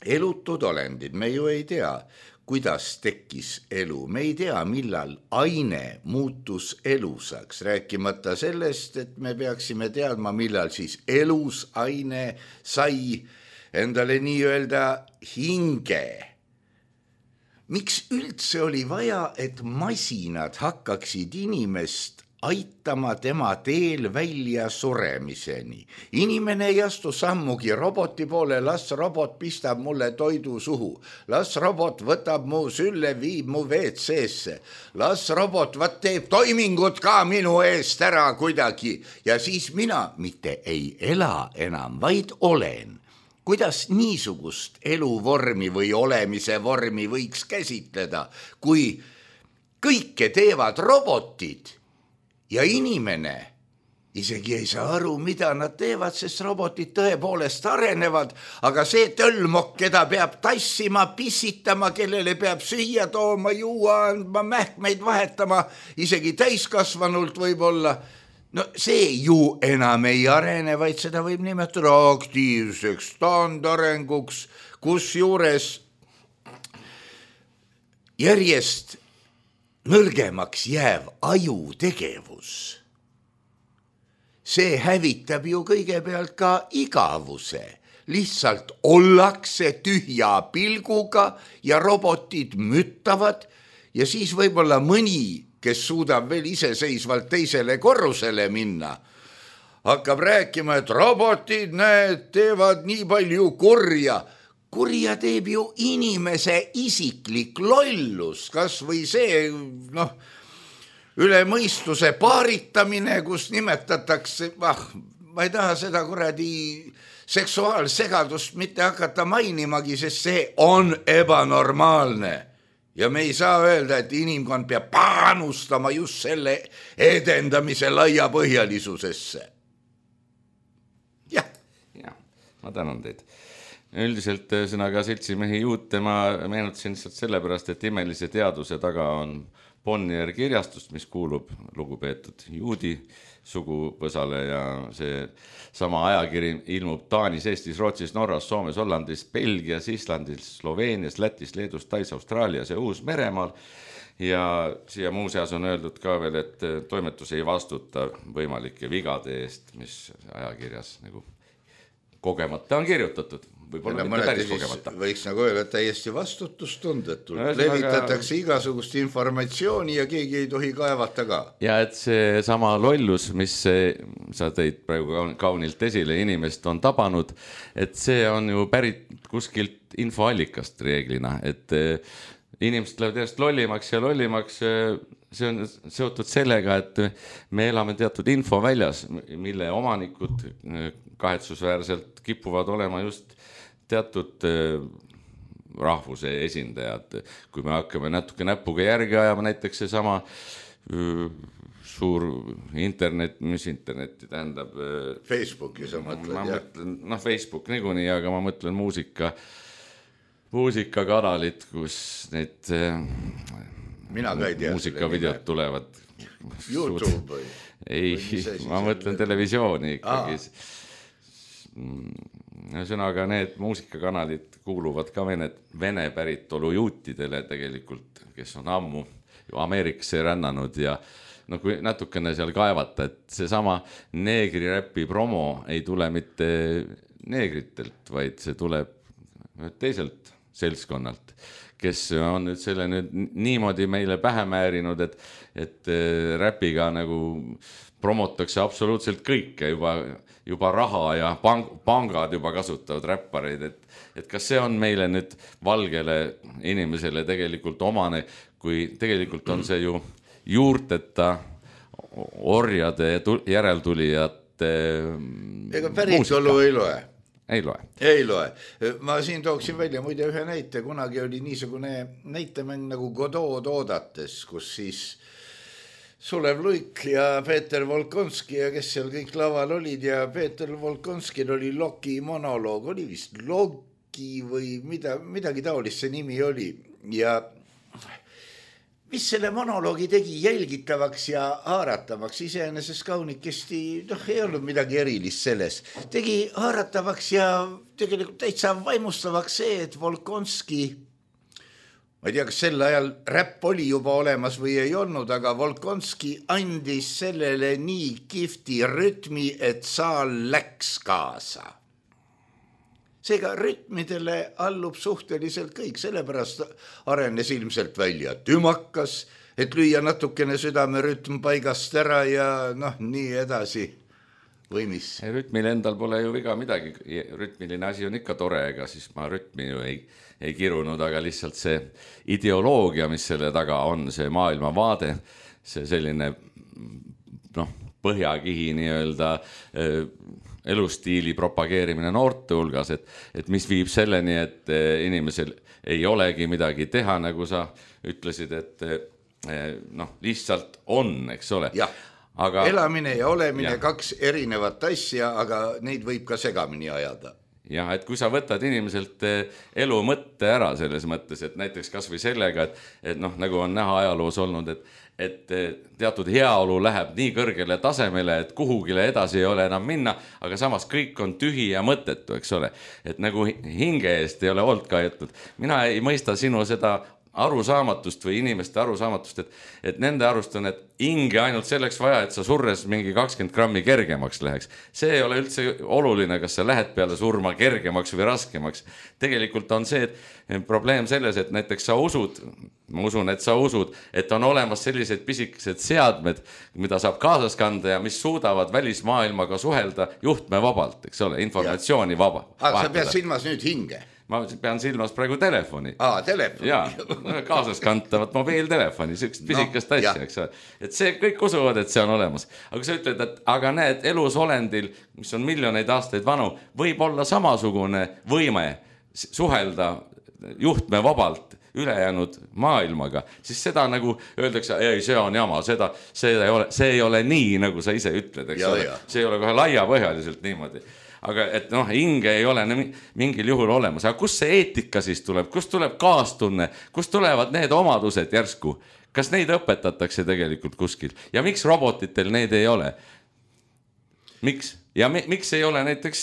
elutud olendid, me ju ei tea, kuidas tekkis elu. Me ei tea, millal aine muutus elusaks, rääkimata sellest, et me peaksime teadma, millal siis elus aine sai endale nii-öelda hinge. Miks üldse oli vaja, et masinad hakkaksid inimest aitama tema teel välja suremiseni? Inimene ei astu sammugi roboti poole, las robot pistab mulle toidu suhu, las robot võtab mu sülle, viib mu V C-sse, las robot võt teeb toimingud ka minu eest ära kuidagi ja siis mina mitte ei ela enam, vaid olen. Kuidas niisugust eluvormi või olemise vormi võiks käsitleda, kui kõike teevad robotid ja inimene isegi ei saa aru, mida nad teevad, sest robotid tõepoolest arenevad, aga see tölmok, keda peab tassima, pissitama, kellele peab süüa tooma, juua andma, mähkmeid vahetama, isegi täiskasvanult võib-olla, no see ju enam ei arene, vaid seda võib nimetada aktiivseks standarenguks, kus juures järjest nõrgemaks jääv ajutegevus. See hävitab ju kõigepealt ka igavuse. Lihtsalt ollakse tühja pilguga ja robotid müttavad ja siis võib-olla mõni, kes suudab veel iseseisvalt teisele korrusele minna, hakkab rääkima, et robotid näed, teevad nii palju kurja. Kurja teeb ju inimese isiklik lollus, kas või see noh, üle mõistuse paaritamine, kus nimetatakse, ah, ma ei taha seda kuradi seksuaalsegadust mitte hakata mainimagi, sest see on ebanormaalne. Ja me ei saa öelda, et inimkond peab panustama just selle edendamise laia põhjalisusesse. Jah. Jah, ma tänan teid. Üldiselt sõnaga seltsimehi juute ma meenutasin lihtsalt sellepärast, et imelise teaduse taga on Bonnier kirjastust, mis kuulub lugupeetud juudi sugupõsale ja see sama ajakiri ilmub Taanis, Eestis, Rootsis, Norras, Soomes, Hollandis, Belgias, Islandis, Sloveenias, Lätis, Leedus, Tais, Austraalias ja Uus-Meremaal. Ja siia muu seas on öeldud ka veel, et toimetus ei vastuta võimalike vigade eest, mis ajakirjas nagu kogemata on kirjutatud. Võib-olla mitte päris kogemata. Võiks nagu öelda, et täiesti vastutustundetult. No, levitatakse aga igasugust informatsiooni ja keegi ei tohi kaevata ka. Ja et see sama lollus, mis sa tõid praegu kaunilt esile, inimest on tabanud, et see on ju pärit kuskilt infoallikast reeglina, et inimesed lähevad järjest lollimaks ja lollimaks, see on seotud sellega, et me elame teatud info väljas, mille omanikud kahetsusväärselt kipuvad olema just teatud rahvuse esindajad. Kui me hakkame natuke näpuga järgi ajama, näiteks see sama suur internet, mis interneti tähendab? Facebooki sa mõtled, ma mõtlen, noh Facebook niikuinii, aga ma mõtlen muusika, muusikakanalit, kus need Mina ka ei tea muusikavideod tulevad. YouTube või? Ei, ma mõtlen televisiooni ikkagi. Sõnaga need muusikakanalid kuuluvad ka vene, vene päritolu juutidele tegelikult, kes on ammu ju Ameerikasse rännanud ja no kui natukene seal kaevata, et see sama neegriräppi promo ei tule mitte neegritelt, vaid see tuleb teiselt seltskonnalt, kes on nüüd selle nüüd niimoodi meile pähe määrinud, et, et räpiga nagu promotakse absoluutselt kõike, juba, juba raha ja pang, pangad juba kasutavad räppareid, et, et kas see on meile nüüd valgele inimesele tegelikult omane, kui tegelikult on see ju juurteta orjade järeltulijate ega päritolu ei loe. Ei loe. Ei loe. Ma siin tooksin välja muide ühe näite, kunagi oli niisugune näitemäng nagu Godot oodates, kus siis Sulev Luik ja Peeter Volkonski ja kes seal kõik laval olid ja Peeter Volkonskil oli Loki monoloog, oli vist Loki või mida, midagi taolist see nimi oli ja mis selle monoloogi tegi jälgitavaks ja haaratavaks, iseenesest kaunikesti, noh, ei olnud midagi erilist selles. Tegi haaratavaks ja tegelikult täitsa vaimustavaks see, et Volkonski, ma ei tea, kas sel ajal räpp oli juba olemas või ei olnud, aga Volkonski andis sellele nii kihvti rütmi, et saal läks kaasa. Seega rütmidele allub suhteliselt kõik, sellepärast arenes ilmselt välja tümakas, et lüüa natukene südame rütm paigast ära ja noh, nii edasi või mis. Rütmil endal pole ju viga midagi, rütmiline asi on ikka tore, ega siis ma rütmi ju ei, ei kirunud, aga lihtsalt see ideoloogia, mis selle taga on, see maailmavaade, see selline noh, põhjakihi nii-öelda elustiili propageerimine noorte hulgas, et, et mis viib selleni, et inimesel ei olegi midagi teha, nagu sa ütlesid, et noh, lihtsalt on, eks ole. Aga, elamine ja olemine, ja. Kaks erinevat asja, aga neid võib ka segamini ajada. Jah, et kui sa võtad inimeselt elu mõtte ära selles mõttes, et näiteks kas või sellega, et, et noh, nagu on näha ajaloos olnud, et, et teatud heaolu läheb nii kõrgele tasemele, et kuhugile edasi ei ole enam minna, aga samas kõik on tühi ja mõttetu, eks ole. Et nagu hinge eest ei ole olnud kaetud. Mina ei mõista sinu seda arusaamatust või inimeste arusaamatust, et, et nende arust on, et hinge ainult selleks vaja, et sa surres mingi kakskümmend grammi kergemaks läheks. See ei ole üldse oluline, kas sa lähed peale surma kergemaks või raskemaks. Tegelikult on see, et probleem selles, et näiteks sa usud, ma usun, et sa usud, et on olemas sellised pisikesed seadmed, mida saab kaasas kanda ja mis suudavad välismaailmaga suhelda juhtme vabalt, eks ole, informatsiooni vaba. Aga sa pead silmas nüüd hinge? Ma pean silmas praegu telefoni. Aa, telefoni. Jaa, kaasas kantavat mobiiltelefoni, sellist pisikest no, asja, eks ole. Et see kõik usuvad, et see on olemas. Aga sa ütled, et aga näed, elus olendil, mis on miljoneid aastaid vanu, võib olla samasugune võime suhelda juhtme vabalt ülejäänud maailmaga, siis seda nagu öeldakse, ei, see on jama, seda, see, ei ole, see ei ole nii, nagu sa ise ütled, eks ja, ole. Ja. See ei ole kohe laiapõhjaliselt niimoodi. Aga et noh, hinge ei ole mingil juhul olemas. Aga kust see eetika siis tuleb? Kust tuleb kaastunne? Kust tulevad need omadused järsku? Kas neid õpetatakse tegelikult kuskil? Ja miks robotitel neid ei ole? Miks? Ja mi, miks ei ole näiteks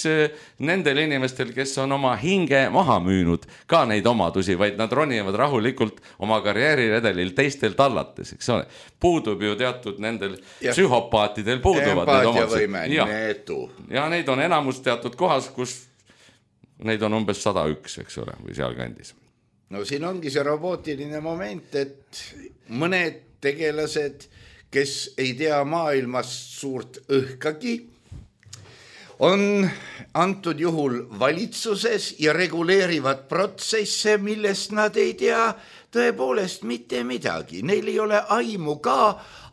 nendel inimestel, kes on oma hinge maha müünud ka neid omadusi, vaid nad ronivad rahulikult oma karjääriredelil teistel tallates, eks ole. Puudub ju teatud nendel ja. Psühhopaatidel puuduvad need omadused. Ja. ja neid on enamus teatud kohas, kus neid on umbes sada üks, eks ole, või seal kandis. No siin ongi see robootiline moment, et mõned tegelased, kes ei tea maailmast suurt õhkagi, on antud juhul valitsuses ja reguleerivad protsesse, millest nad ei tea tõepoolest mitte midagi. Neil ei ole aimu ka,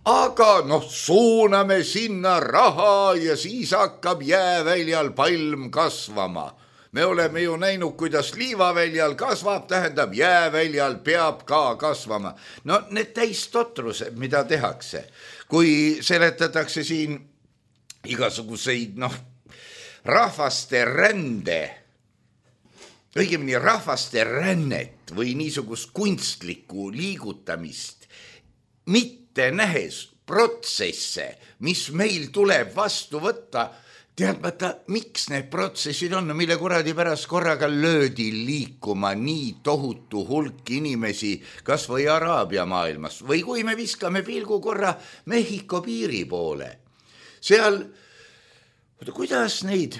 aga noh, suuname sinna raha ja siis hakkab jääväljal palm kasvama. Me oleme ju näinud, kuidas liivaväljal kasvab, tähendab jääväljal peab ka kasvama. No need täistotrused, mida tehakse, kui seletatakse siin igasuguseid, noh, rahvaste rände, õigemini rahvaste rännet või niisugust kunstlikku liigutamist, mitte nähes protsesse, mis meil tuleb vastu võtta, teadmata, miks need protsessid on, mille kuradi pärast korraga löödi liikuma nii tohutu hulk inimesi, kas või Araabia maailmas, või kui me viskame pilgu korra Mehhiko piiri poole, seal kuidas neid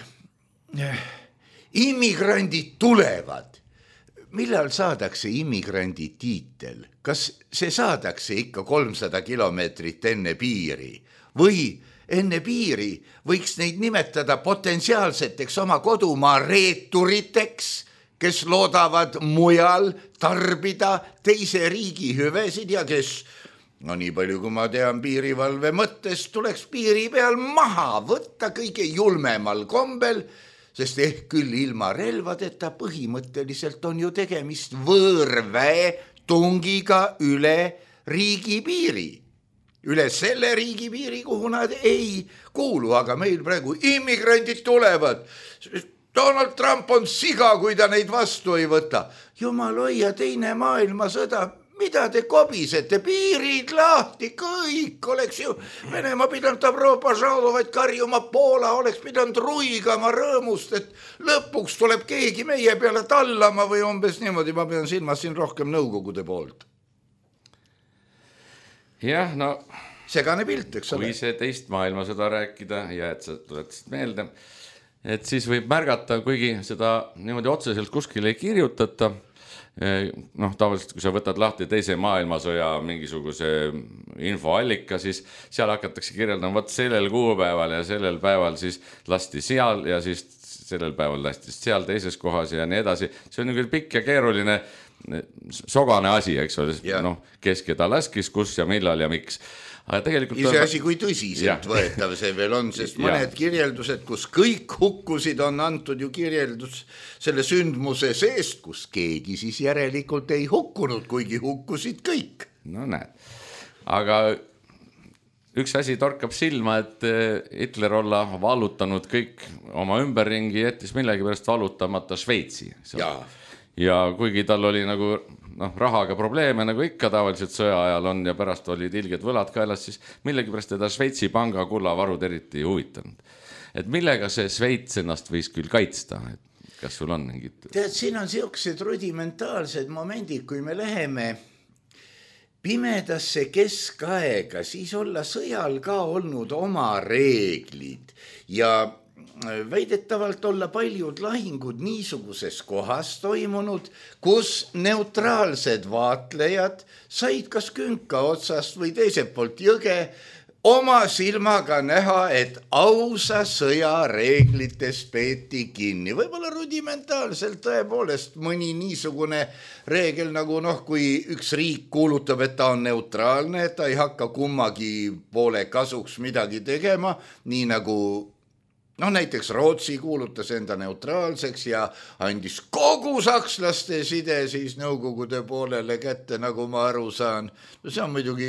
immigrandid tulevad? millal saadakse immigrandi tiitel? Kas see saadakse ikka kolmsada kilomeetrit enne piiri või enne piiri võiks neid nimetada potentsiaalseteks oma kodumaa reeturiteks, kes loodavad mujal tarbida teise riigi hüvesid ja kes, no nii palju kui ma tean piirivalve mõttes, tuleks piiri peal maha võtta kõige julmemal kombel, sest ehk küll ilma relvadeta põhimõtteliselt on ju tegemist võõrväe tungiga üle riigipiiri. Üle selle riigipiiri, kuhu nad ei kuulu, aga meil praegu immigrandid tulevad. Donald Trump on siga, kui ta neid vastu ei võta. Jumal hoia, teine maailmasõda, mida te kobisete, piirid lahti, kõik oleks ju. Venemaa pidanud Euroopa žaalovaid karjuma, Poola oleks pidanud ruigama rõõmust, et lõpuks tuleb keegi meie peale tallama või umbes niimoodi, ma pean silmas siin rohkem nõukogude poolt. Jah, no segane pilt, eks ole. Kui see teist maailmasõda rääkida ja et sa tuletasid meelde, et siis võib märgata, kuigi seda niimoodi otseselt kuskil ei kirjutata, noh, tavaliselt kui sa võtad lahti teise maailmasõja mingisuguse infoallika, siis seal hakatakse kirjeldama, võt sellel kuupäeval ja sellel päeval siis lasti seal ja siis sellel päeval lasti seal teises kohas ja nii edasi. See on nagu pikk ja keeruline sogane asi, eks ole, noh, kes keda laskis, kus ja millal ja miks. Aga tegelikult ise asi, kui tõsiselt võetav see veel on, sest mõned kirjeldused, kus kõik hukkusid, on antud ju kirjeldus selle sündmuse seest, kus keegi siis järelikult ei hukkunud, kuigi hukkusid kõik. No näed, aga üks asi torkab silma, et Hitler olla vallutanud kõik oma ümberringi, jättis millegi pärast vallutamata Šveitsi. Jaa. Ja kuigi tal oli nagu noh, rahaga probleeme, nagu ikka tavaliselt sõja ajal on ja pärast olid ilged võlad kaelas, siis millegi pärast teda Šveitsi panga kullavarud eriti huvitanud. Et millega see Šveits ennast võis küll kaitsta? Et kas sul on mingid? Tead, siin on siuksed rudimentaalsed momendid, kui me läheme pimedasse keskaega, siis olla sõjal ka olnud oma reeglid ja väidetavalt olla paljud lahingud niisuguses kohas toimunud, kus neutraalsed vaatlejad said kas künka otsast või teiselt poolt jõge oma silmaga näha, et ausa sõja reeglites peeti kinni. Võib-olla rudimentaalselt tõepoolest mõni niisugune reegel nagu noh, kui üks riik kuulutab, et ta on neutraalne, et ta ei hakka kummagi poole kasuks midagi tegema, nii nagu noh, näiteks Rootsi kuulutas enda neutraalseks ja andis kogu sakslaste side siis nõukogude poolele kätte, nagu ma aru saan. No see on muidugi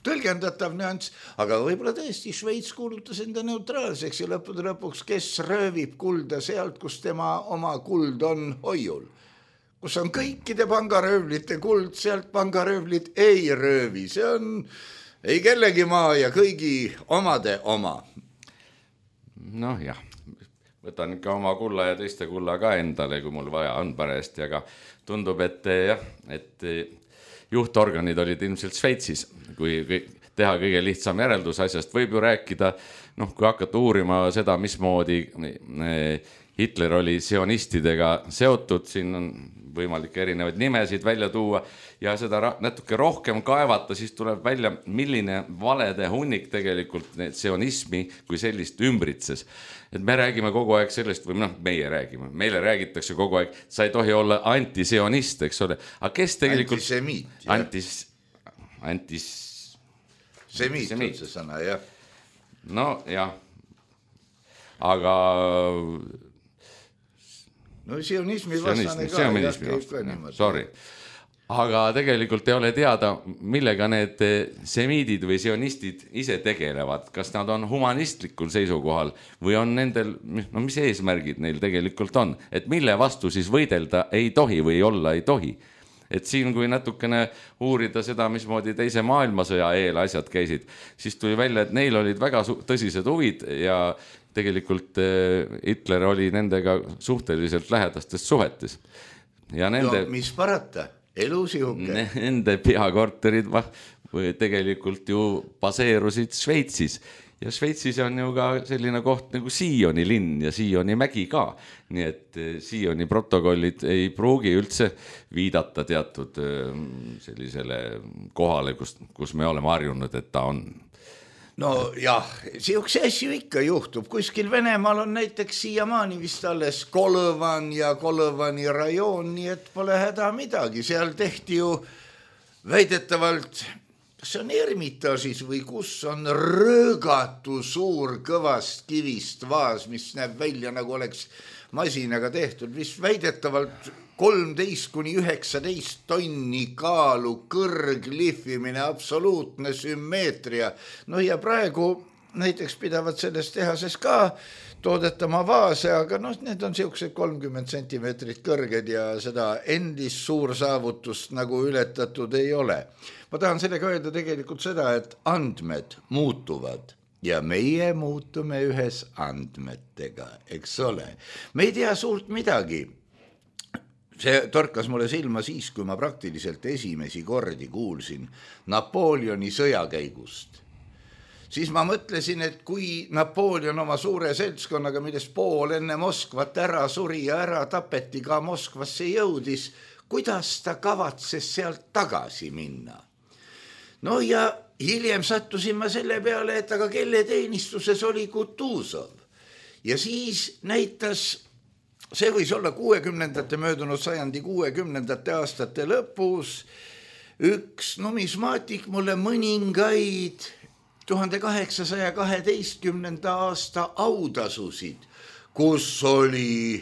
tõlgendatav nüanss, aga võib-olla tõesti Šveits kuulutas enda neutraalseks ja lõppude lõpuks, kes röövib kulda sealt, kus tema oma kuld on hoiul. Kus on kõikide pangaröövlite kuld, sealt pangaröövlit ei röövi. See on ei kellegi maa ja kõigi omade oma. Noh jah, võtan ikka oma kulla ja teiste kulla ka endale, kui mul vaja on parajasti, aga tundub, et jah, et juhtorganid olid ilmselt Šveitsis, kui teha kõige lihtsam järeldus asjast. Võib ju rääkida, noh, kui hakata uurima seda, mismoodi Hitler oli sionistidega seotud, siin on võimalik erinevaid nimesid välja tuua ja seda natuke rohkem kaevata, siis tuleb välja, milline valede hunnik tegelikult sionismi kui sellist ümbritses. Et me räägime kogu aeg sellest, või noh, meie räägime, meile räägitakse kogu aeg, sa ei tohi olla antisionist, eks ole. Aga kes tegelikult... Antisemiit. Antis... Antis... Semiit on see sõna, jah. No, jah. Aga... No sionismi vastane ka. Sionismi vastane, sorry. Aga tegelikult ei ole teada, millega need semiidid või sionistid ise tegelevad. Kas nad on humanistlikul seisukohal või on nendel, no mis eesmärgid neil tegelikult on? Et mille vastu siis võidelda ei tohi või olla ei tohi? Et siin, kui natukene uurida seda, mismoodi teise maailmasõja eel asjad käisid, siis tuli välja, et neil olid väga tõsised huvid ja tegelikult Hitler oli nendega suhteliselt lähedastes suhetes. Ja nende, no, mis parata, elus juhuke. Nende peakorterid tegelikult ju baseerusid Šveitsis ja Šveitsis on ju ka selline koht nagu Sioni linn ja Sioni mägi ka. Nii et Sioni protokollid ei pruugi üldse viidata teatud sellisele kohale, kus, kus me oleme harjunud, et ta on. No jah, sihukese asju ikka juhtub. Kuskil Venemaal on näiteks siiamaani vist alles Kolõvan ja Kolõvani rajoon, nii et pole häda midagi. Seal tehti ju väidetavalt, see on Ermitaažis või kus on röögatu suur kõvast kivist vaas, mis näeb välja nagu oleks masinaga tehtud, vist väidetavalt kolmteist kuni üheksateist tonni kaalu kõrglihvimine, absoluutne sümmeetria. No ja praegu näiteks pidavad selles tehases ka toodetama vaase, aga noh, need on siuksed kolmkümmend sentimeetrit kõrged ja seda endist suur saavutust nagu ületatud ei ole. Ma tahan sellega öelda tegelikult seda, et andmed muutuvad ja meie muutume ühes andmetega, eks ole. Me ei tea suurt midagi. See torkas mulle silma siis, kui ma praktiliselt esimesi kordi kuulsin Napoleoni sõjakäigust. Siis ma mõtlesin, et kui Napoleon oma suure seltskonnaga, millest pool enne Moskvat ära suri ja ära tapeti ka Moskvasse jõudis, kuidas ta kavatses sealt tagasi minna? No ja hiljem sattusin ma selle peale, et aga kelle teenistuses oli Kutuzov. Ja siis näitas, see võis olla kuuekümnendate möödunud sajandi kuuekümnendate aastate lõpus, üks numismaatik mulle mõningaid tuhande kaheksasaja kaheteistkümnenda aasta autasusid, kus oli,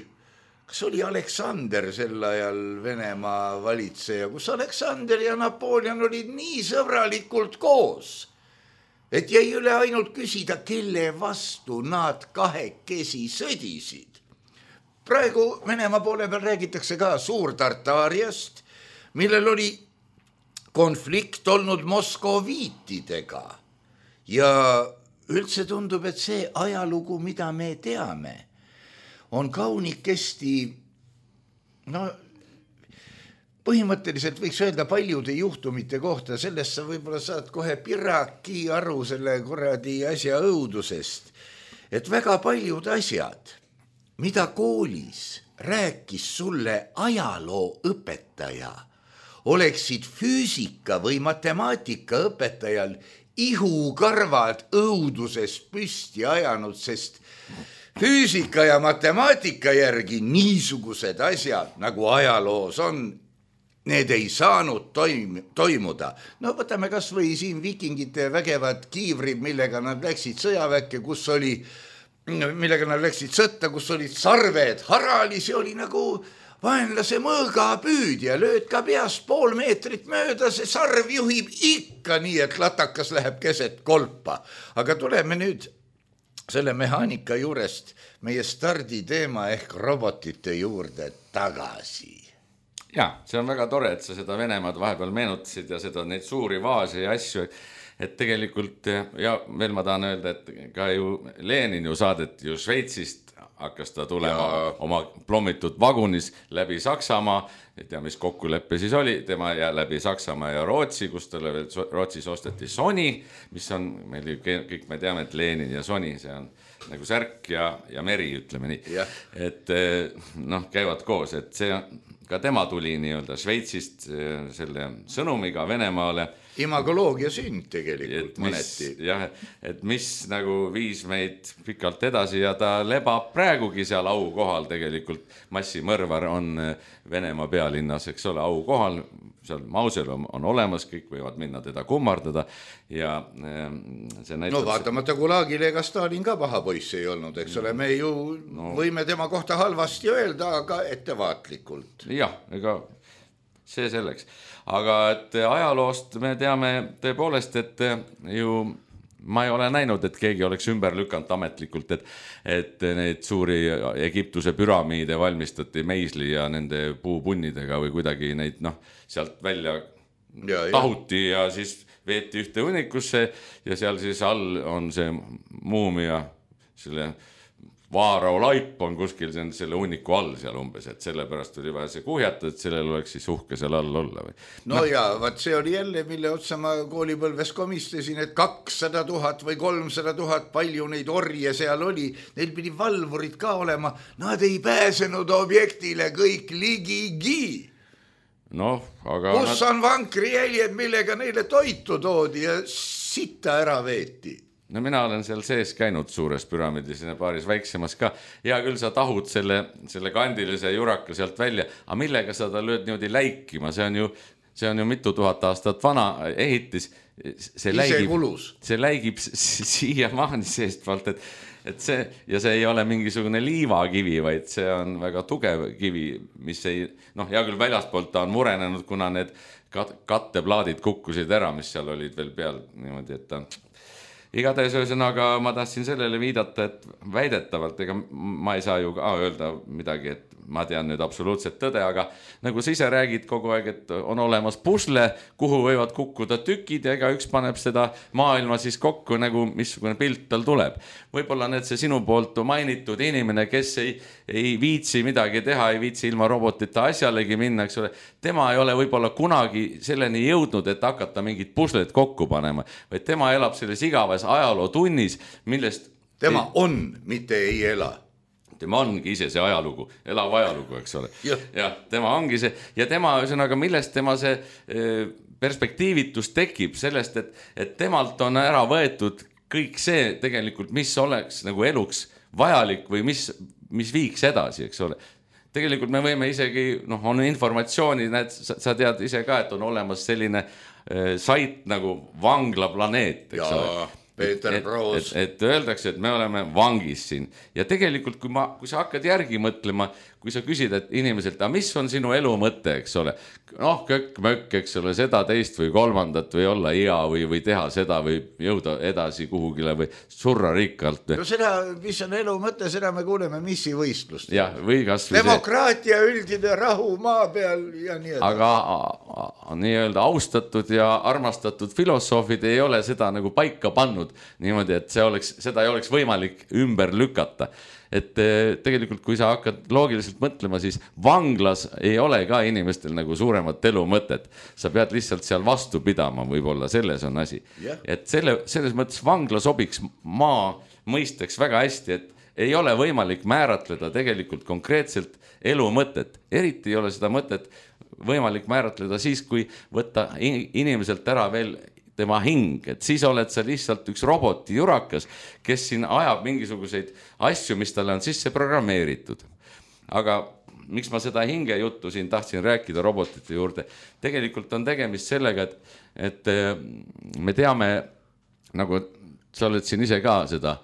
kas oli Aleksander sel ajal Venemaa valitseja, kus Aleksander ja Napoleon olid nii sõbralikult koos, et jäi üle ainult küsida, kelle vastu nad kahekesi sõdisid. Praegu Venemaa poole peal räägitakse ka Suur-Tartaariast, millel oli konflikt olnud moskoviitidega. Ja üldse tundub, et see ajalugu, mida me teame, on kaunikesti, no põhimõtteliselt võiks öelda paljude juhtumite kohta, sellest sa võib-olla saad kohe piraki aru selle kuradi asja õudusest, et väga paljud asjad, mida koolis rääkis sulle ajaloo õpetaja, oleksid füüsika või matemaatika õpetajal ihukarvad õuduses püsti ajanud, sest füüsika ja matemaatika järgi niisugused asjad, nagu ajaloos on, need ei saanud toim- toimuda. No võtame kas või siin vikingite vägevad kiivrid, millega nad läksid sõjaväkke, kus oli millega nad läksid sõtta, kus olid sarved, harali, see oli nagu vaenlase mõõgapüüdja, lööd ka peast pool meetrit mööda, see sarv juhib ikka nii, et latakas läheb keset kolpa. Aga tuleme nüüd selle mehaanika juurest meie starditeema ehk robotite juurde tagasi. Ja, see on väga tore, et sa seda Venemaad vahepeal meenutasid ja seda neid suuri vaase ja asju, et tegelikult, ja veel ma tahan öelda, et ka ju Lenin ju saadet ju Šveitsist hakkas ta tulema ja oma plommitud vagunis läbi Saksamaa, ei tea, mis kokkuleppe siis oli, tema ja läbi Saksamaa ja Rootsi, kus talle veel Rootsis osteti Sony, mis on, meil kõik me teame, et Lenin ja Sony, see on nagu särk ja, ja meri, ütleme nii, ja. Et noh, käivad koos, et see ka tema tuli nii-öelda Šveitsist selle sõnumiga Venemaale. Imagoloogia sünd tegelikult mis, mõneti. Jah, et mis nagu viis meid pikalt edasi ja ta lebab praegugi seal au kohal tegelikult. Massimõrvar on Venemaa pealinnas, eks ole, au kohal, seal mausel on, on olemas, kõik võivad minna teda kummardada ja see näitab... No vaatamata Gulagile ega Stalin ka paha poiss ei olnud, eks ole, me ju no. võime tema kohta halvasti öelda, aga ettevaatlikult. Jah, ega see selleks. Aga et ajaloost me teame tõepoolest, et ju ma ei ole näinud, et keegi oleks ümber lükanud ametlikult, et, et neid suuri Egiptuse püramiide valmistati meisli ja nende puupunnidega või kuidagi neid noh, sealt välja ja, tahuti ja. ja siis veeti ühte hunikusse ja seal siis all on see muumia selle Vaarau laip on kuskil see on selle hunniku all seal umbes, et sellepärast oli vaja see kuhjata, et sellel oleks siis uhke seal all olla või. No, no ja vaat see oli jälle, mille otsa ma koolipõlves komistasin, et kakssada tuhat või kolmsada tuhat, palju neid orje seal oli, neil pidi valvurid ka olema, nad ei pääsenud objektile kõik ligigi. Noh, aga kus nad... on vankrijäljed, millega neile toitu toodi ja sitta ära veeti? No mina olen seal sees käinud suures püramiidis ja paaris väiksemas ka. Hea küll, sa tahud selle, selle kandilise juraka sealt välja, aga millega sa ta lööd niimoodi läikima? See on ju, see on ju mitu tuhat aastat vana ehitis. See läigib, see läigib siia maani seestpalt, et, et see, ja see ei ole mingisugune liivakivi, vaid see on väga tugev kivi, mis ei, noh, hea küll väljaspoolt ta on murenenud, kuna need katteplaadid kukkusid ära, mis seal olid veel peal niimoodi, et ta igatahes ühesõnaga ma tahtsin sellele viidata, et väidetavalt, ega ma ei saa ju ka öelda midagi, et ma tean nüüd absoluutselt tõde, aga nagu sa ise räägid kogu aeg, et on olemas pusle, kuhu võivad kukkuda tükid ja ega üks paneb seda maailma siis kokku, nagu missugune pilt tal tuleb. Võib-olla need see sinu poolt mainitud inimene, kes ei, ei viitsi midagi teha, ei viitsi ilma robotita asjalegi minna, eks ole, tema ei ole võib-olla kunagi selleni jõudnud, et hakata mingid pusled kokku panema, vaid tema elab selles igavas ajaloo tunnis, millest tema ei... on, mitte ei ela. Tema ongi ise see ajalugu, elav ajalugu, eks ole. Ja, ja tema ongi see, ja tema, ühesõnaga, millest tema see perspektiivitus tekib sellest, et, et temalt on ära võetud kõik see tegelikult, mis oleks nagu eluks vajalik või mis, mis viiks edasi, eks ole. Tegelikult me võime isegi, noh, on informatsiooni, näed, sa, sa tead ise ka, et on olemas selline äh, sait nagu vanglaplaneet, eks ja. ole. Peeter et, Proos. Et, et öeldakse, et me oleme vangis siin ja tegelikult kui, ma, kui sa hakkad järgi mõtlema, kui sa küsid, et inimeselt, aga mis on sinu elu mõte, eks ole, noh, kökk, mökk, eks ole, seda teist või kolmandat või olla hea või, või teha seda või jõuda edasi kuhugile või surra rikkalt. No seda, mis on elu mõte, seda me kuuleme missivõistlust. Ja, või kas või demokraatia, see... üldine rahu maa peal ja nii edasi. Aga a, a, nii-öelda austatud ja armastatud filosoofid ei ole seda nagu paika pannud niimoodi, et see oleks, seda ei oleks võimalik ümber lükata. Et tegelikult, kui sa hakkad loogiliselt mõtlema, siis vanglas ei ole ka inimestel nagu suuremat elu mõtet. Sa pead lihtsalt seal vastu pidama, võib-olla selles on asi. Yeah. Et selle, selles mõttes vangla sobiks maa mõisteks väga hästi, et ei ole võimalik määratleda tegelikult konkreetselt elu mõtet. Eriti ei ole seda mõtet võimalik määratleda siis, kui võtta inimeselt ära veel tema hing, et siis oled sa lihtsalt üks roboti jurakas, kes siin ajab mingisuguseid asju, mis talle on sisse programmeeritud. Aga miks ma seda hinge juttu siin tahtsin rääkida robotite juurde, tegelikult on tegemist sellega, et, et me teame, nagu sa oled siin ise ka seda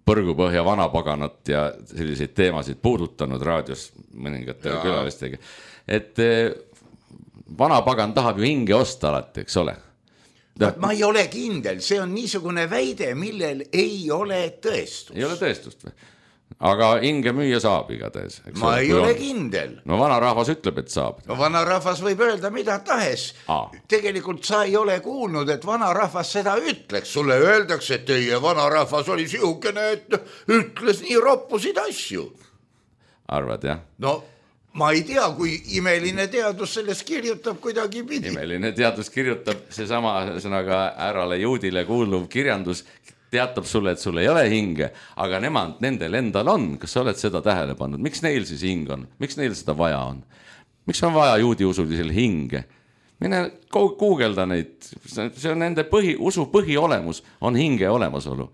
põrgupõhja vanapaganat ja selliseid teemasid puudutanud raadios mõningate külalistega, et vanapagan tahab ju hinge osta alati, eks ole. Ma ei ole kindel, see on niisugune väide, millel ei ole tõestust. Ei ole tõestust või? Aga hinge müüa saab igatahes. Ma ei ole on. kindel. No vanarahvas ütleb, et saab. No vanarahvas võib öelda mida tahes. Aa. Tegelikult sa ei ole kuulnud, et vanarahvas seda ütleks. Sulle öeldakse, et teie vanarahvas oli sihukene, et ütles nii roppusid asju. Arvad, jah? No ma ei tea, kui imeline teadus sellest kirjutab kuidagi pidi. Imeline teadus kirjutab seesama sõnaga ärale juudile kuuluv kirjandus, teatab sulle, et sul ei ole hinge, aga nemad, nendel endal on. Kas sa oled seda tähele pannud? Miks neil siis hing on? Miks neil seda vaja on? Miks on vaja juudi usulisel hinge? Mine guugelda neid. See on nende põhi, usu põhiolemus, on hinge olemasolu.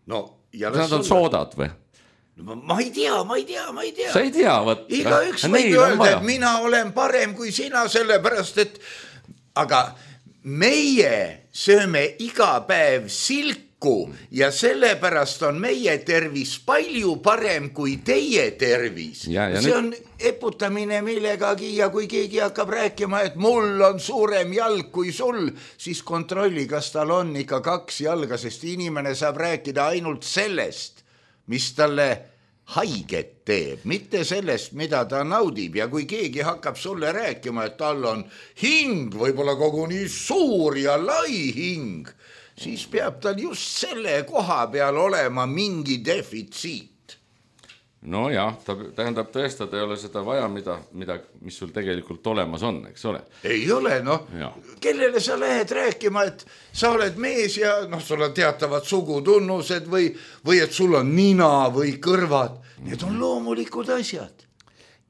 No, ja nad on soodad või? Ma ei tea, ma ei tea, ma ei tea. Sa ei tea, võt. Iga üks võib öelda, et mina olen parem kui sina, sellepärast, et aga meie sööme iga päev silku ja sellepärast on meie tervis palju parem kui teie tervis. Ja, ja see on eputamine millegagi ja kui keegi hakkab rääkima, et mul on suurem jalg kui sul, siis kontrolli, kas tal on ikka kaks jalga, sest inimene saab rääkida ainult sellest, mis talle haiget teeb, mitte sellest, mida ta naudib. Ja kui keegi hakkab sulle rääkima, et tal on hing, võib-olla koguni suur ja lai hing, siis peab tal just selle koha peal olema mingi defitsiit. no jah, ta tähendab tõestada ei ole seda vaja, mida, mida, mis sul tegelikult olemas on, eks ole? Ei ole, noh, kellele sa lähed rääkima, et sa oled mees ja noh, sul on teatavad sugutunnused või, või et sul on nina või kõrvad, need on loomulikud asjad.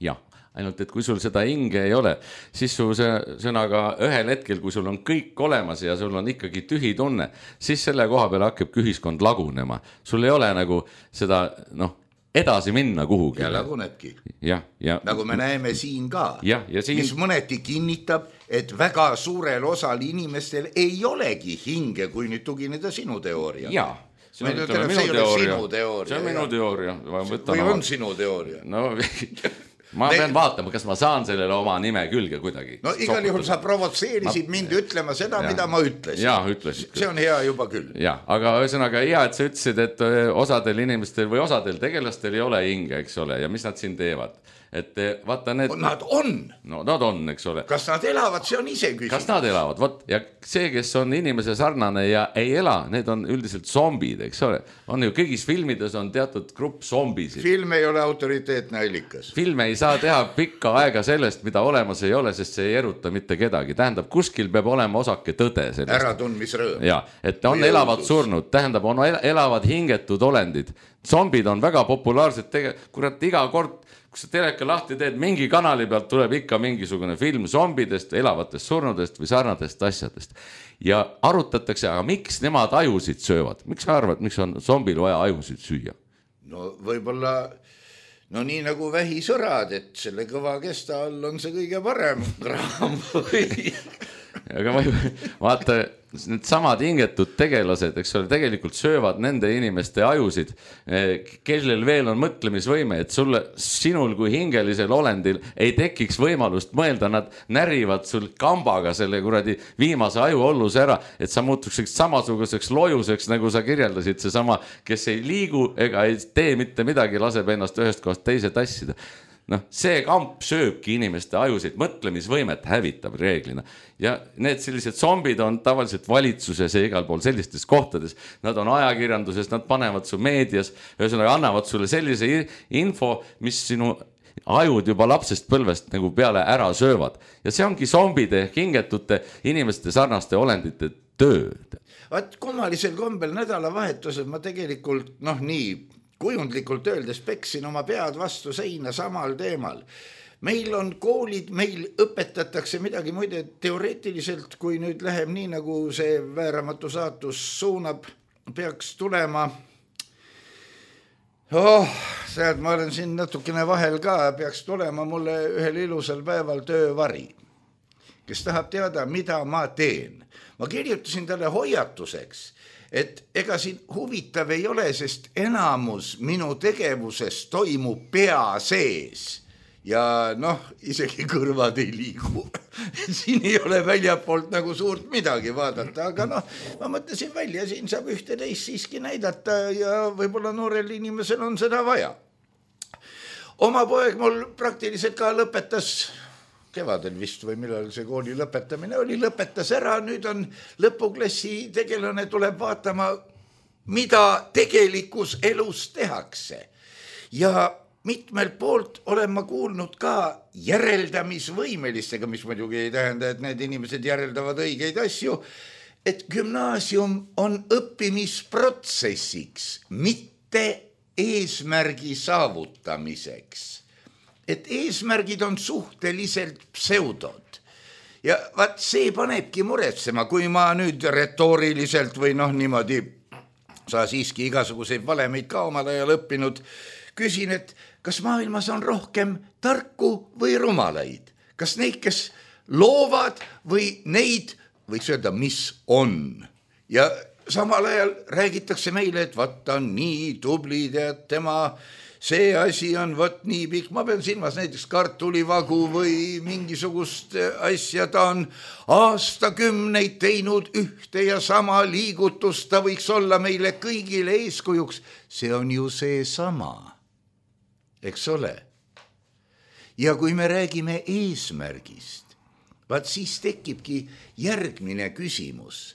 Jah, ainult et kui sul seda hinge ei ole, siis su sõnaga ühel hetkel, kui sul on kõik olemas ja sul on ikkagi tühi tunne, siis selle koha peale hakkabki ühiskond lagunema. Sul ei ole nagu seda, noh, edasi minna kuhugi. Ja lagunebki. Ja, ja. Nagu me näeme siin ka, ja, ja siin... mis mõneti kinnitab, et väga suurel osal inimestel ei olegi hinge, kui nüüd tugineda sinu teooria. Jaa, see on, ütleme, minu teooria. See on minu teooria. Või on sinu teooria? No... Ma pean vaatama, kas ma saan sellele oma nime külge kuidagi. No igal juhul sa provotseerisid ma... mind ütlema seda, ja. Mida ma ütlesin. Jaa, ütlesid. See on hea juba küll. Jaa, aga ühesõnaga hea, et sa ütlesid, et osadel inimestel või osadel tegelastel ei ole hinge, eks ole, ja mis nad siin teevad. Et vaata need... Nad on. No nad on, eks ole. Kas nad elavad, see on ise küsimus. Kas nad elavad, vot, ja see, kes on inimese sarnane ja ei ela, need on üldiselt zombid, eks ole. On ju, kõigis filmides on teatud grupp zombisid. Film ei ole autoriteetne allikas. Film ei saa teha pikka aega sellest, mida olemas ei ole, sest see ei eruta mitte kedagi. Tähendab, kuskil peab olema osake tõde sellest. Äratundmisrõõm. Ja, et on või elavad õudus. Surnud, tähendab, on elavad hingetud olendid. Zombid on väga populaarsed, tege... kurat iga kord kui sa teleka lahti teed, mingi kanali pealt tuleb ikka mingisugune film zombidest, elavatest surnudest või sarnadest asjadest. Ja arutatakse, aga miks nemad ajusid söövad? Miks sa arvad, miks on zombil vaja ajusid süüa? No võib-olla, no nii nagu vähisõrad, et selle kõva kesta all on see kõige parem kraam või... Aga vaata, need samad hingetud tegelased, eks ole, tegelikult söövad nende inimeste ajusid, kellel veel on mõtlemisvõime, et sulle, sinul kui hingelisel olendil ei tekiks võimalust mõelda, nad närivad sul kambaga selle kuradi viimase aju olluse ära, et sa muutuksid samasuguseks lojuseks, nagu sa kirjeldasid, see sama, kes ei liigu ega ei tee mitte midagi, laseb ennast ühest kohast teise tassida. Noh, see kamp sööbki inimeste ajusid, mõtlemisvõimet hävitab reeglina. Ja need sellised zombid on tavaliselt valitsuses ja igal pool sellistes kohtades. Nad on ajakirjanduses, nad panevad su meedias, ühesõnaga annavad sulle sellise info, mis sinu ajud juba lapsest põlvest nagu peale ära söövad. Ja see ongi zombide, hingetute, inimeste sarnaste olendite tööd. Vaat kummalisel kombel nädalavahetusel ma tegelikult, noh nii, kujundlikult öeldes peksin oma pead vastu seina samal teemal. Meil on koolid, meil õpetatakse midagi muide teoreetiliselt, kui nüüd läheb nii, nagu see vääramatu saatus suunab, peaks tulema. Oh, sealt ma olen siin natukene vahel ka, peaks tulema mulle ühel ilusal päeval töövari, kes tahab teada, mida ma teen. Ma kirjutasin talle hoiatuseks, et ega siin huvitav ei ole, sest enamus minu tegevusest toimub pea sees ja noh, isegi kõrvad ei liigu. Siin ei ole väljapoolt nagu suurt midagi vaadata, aga noh, ma mõtlesin välja, siin saab ühte teist siiski näidata ja võib-olla noorel inimesel on seda vaja. Oma poeg mul praktiliselt ka lõpetas kevadel vist või millal see kooli lõpetamine oli, lõpetas ära, nüüd on lõpuklassi tegelane tuleb vaatama, mida tegelikus elus tehakse. Ja mitmel poolt olen ma kuulnud ka järeldamisvõimelistega, mis muidugi ei tähenda, et need inimesed järeldavad õigeid asju, et gümnaasium on õppimisprotsessiks, mitte eesmärgi saavutamiseks. Et eesmärgid on suhteliselt pseudod. Ja vaat see panebki muretsema, kui ma nüüd retooriliselt või noh niimoodi, sa siiski igasuguseid valemeid ka omal ajal õppinud, küsin, et kas maailmas on rohkem tarku või rumalaid? Kas neid, kes loovad või neid, võiks öelda, mis on? Ja samal ajal räägitakse meile, et vaata on nii tublid ja tema... see asi on võt nii pikk, ma pean silmas näiteks kartulivagu või mingisugust asja, ta on aastakümneid teinud ühte ja sama liigutust, ta võiks olla meile kõigile eeskujuks, see on ju see sama, eks ole. Ja kui me räägime eesmärgist, vaat siis tekibki järgmine küsimus.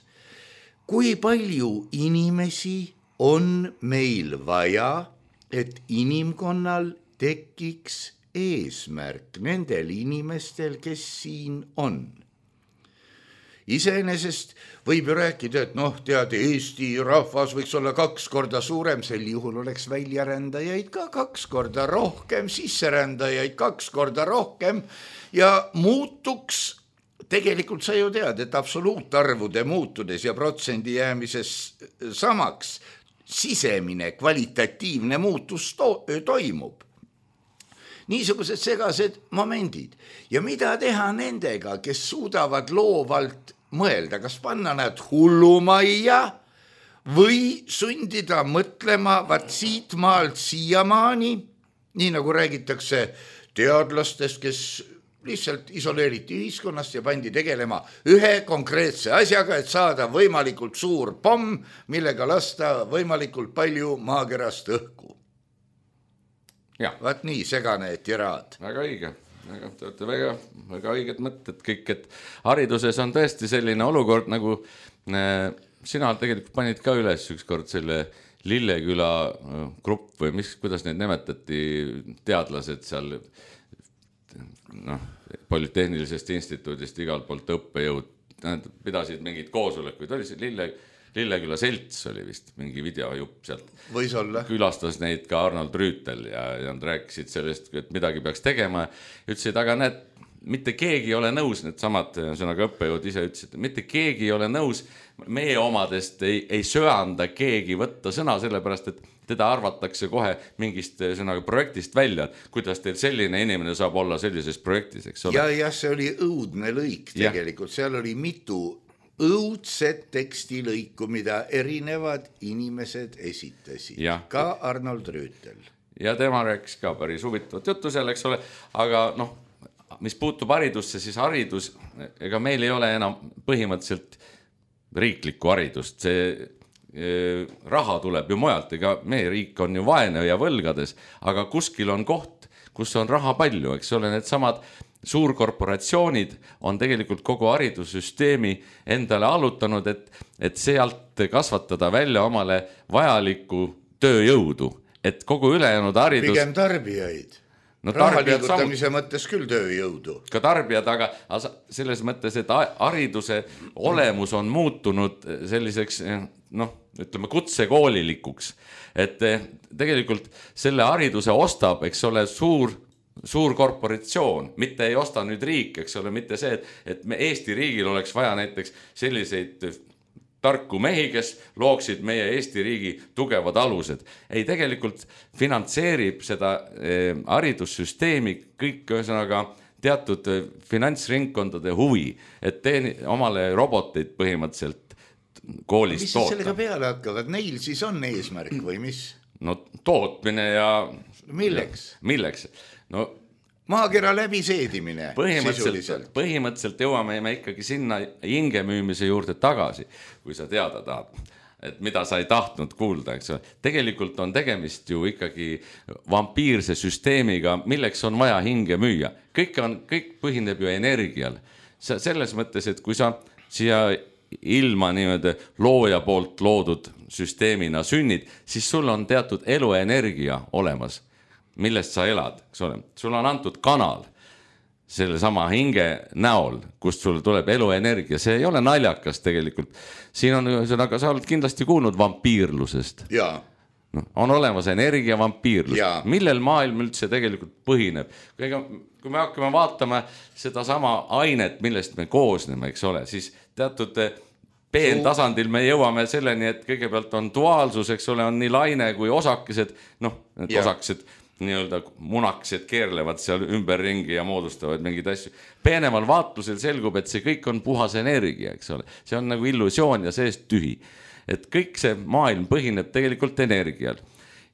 Kui palju inimesi on meil vaja, et inimkonnal tekiks eesmärk nendel inimestel, kes siin on. Iseenesest võib ju rääkida, et noh, tead, Eesti rahvas võiks olla kaks korda suurem, sel juhul oleks väljarändajaid ka kaks korda rohkem, sisserändajaid kaks korda rohkem ja muutuks, tegelikult sa ju tead, et absoluutarvude muutudes ja protsendi jäämises samaks, sisemine kvalitatiivne muutus to- toimub. Niisugused segased momendid. Ja mida teha nendega, kes suudavad loovalt mõelda, kas panna nad hullumajja või sundida mõtlema vaat siit maalt siiamaani, nii nagu räägitakse teadlastest, kes lihtsalt isoleeriti ühiskonnast ja pandi tegelema ühe konkreetse asjaga, et saada võimalikult suur pomm, millega lasta võimalikult palju maakerast õhku. Ja. Vaat nii, segane tiraad. Väga õige, väga, te olete väga, väga õiged mõtted kõik, et hariduses on tõesti selline olukord, nagu äh, sina tegelikult panid ka üles ükskord selle Lilleküla grupp või mis, kuidas neid nimetati, teadlased seal, noh, Polütehnilisest instituudist igalt poolt õppejõud, pidasid mingid koosolekuid, oli see Lille Lilleküla selts oli vist mingi videojupp sealt. Võis olla. Külastas neid ka Arnold Rüütel ja, ja nad rääkisid sellest, et midagi peaks tegema. Ütlesid, aga need, mitte keegi ei ole nõus, need samad sõnaga õppejõud ise ütlesid, mitte keegi ei ole nõus, meie omadest ei, ei söanda keegi võtta sõna, sellepärast, et teda arvatakse kohe mingist sõnaga projektist välja, kuidas teil selline inimene saab olla sellises projektis, eks ole? Ja, ja see oli õudne lõik tegelikult, ja. Seal oli mitu õudset tekstilõiku, mida erinevad inimesed esitasid, ja. Ka Arnold Rüütel. Ja tema rääkis ka päris huvitavat juttu seal, eks ole, aga noh, mis puutub haridusse, siis haridus, ega meil ei ole enam põhimõtteliselt riiklikku haridust, see e, raha tuleb ju mujalt, ega meie riik on ju vaene ja võlgades, aga kuskil on koht, kus on raha palju, eks ole, need samad suurkorporatsioonid on tegelikult kogu haridussüsteemi endale allutanud, et, et sealt kasvatada välja omale vajalikku tööjõudu, et kogu ülejäänud haridus... Pigem tarbijaid. No, raha liigutamise samu... mõttes küll tööjõudu. Ka tarbijad, aga selles mõttes, et hariduse olemus on muutunud selliseks, noh, ütleme kutsekoolilikuks, et tegelikult selle hariduse ostab, eks ole, suur suur korporatsioon, mitte ei osta nüüd riik, eks ole, mitte see, et, et me Eesti riigil oleks vaja näiteks selliseid tarku mehi, kes looksid meie Eesti riigi tugevad alused. Ei, tegelikult finantseerib seda eh, haridussüsteemi kõik ühesõnaga teatud finantsringkondade huvi, et teeni omale roboteid põhimõtteliselt koolis mis toota. Mis sellega peale hakkavad? Neil siis on eesmärk või mis? No tootmine ja... Milleks? Ja, milleks? No, maakera läbiseedimine põhimõtteliselt, põhimõtteliselt jõuame me ikkagi sinna hinge müümise juurde tagasi, kui sa teada tahad, et mida sa ei tahtnud kuulda, eks ole. Tegelikult on tegemist ju ikkagi vampiirse süsteemiga, milleks on vaja hinge müüa. Kõik, on, kõik põhineb ju energial. Selles mõttes, et kui sa siia ilma niimoodi looja poolt loodud süsteemina sünnid, siis sul on teatud eluenergia olemas, millest sa elad, eks ole. Sul on antud kanal selle sama hinge näol, kust sul tuleb eluenergia. See ei ole naljakas tegelikult. Siin on, aga sa oled kindlasti kuulnud vampiirlusest. Jaa. No, on olemas energia vampiirlus. Ja. Millel maailm üldse tegelikult põhineb? Kui me hakkame vaatama seda sama ainet, millest me koosneme, eks ole, siis teatud peentasandil me jõuame selleni, et kõigepealt on duaalsus, eks ole, on nii laine kui osakesed, noh, need ja. Osakesed nii-öelda munakesed keerlevad seal ümberringi ja moodustavad mingeid asju. Peenemal vaatlusel selgub, et see kõik on puhas energia, eks ole. See on nagu illusioon ja seest tühi. Et kõik see maailm põhineb tegelikult energial.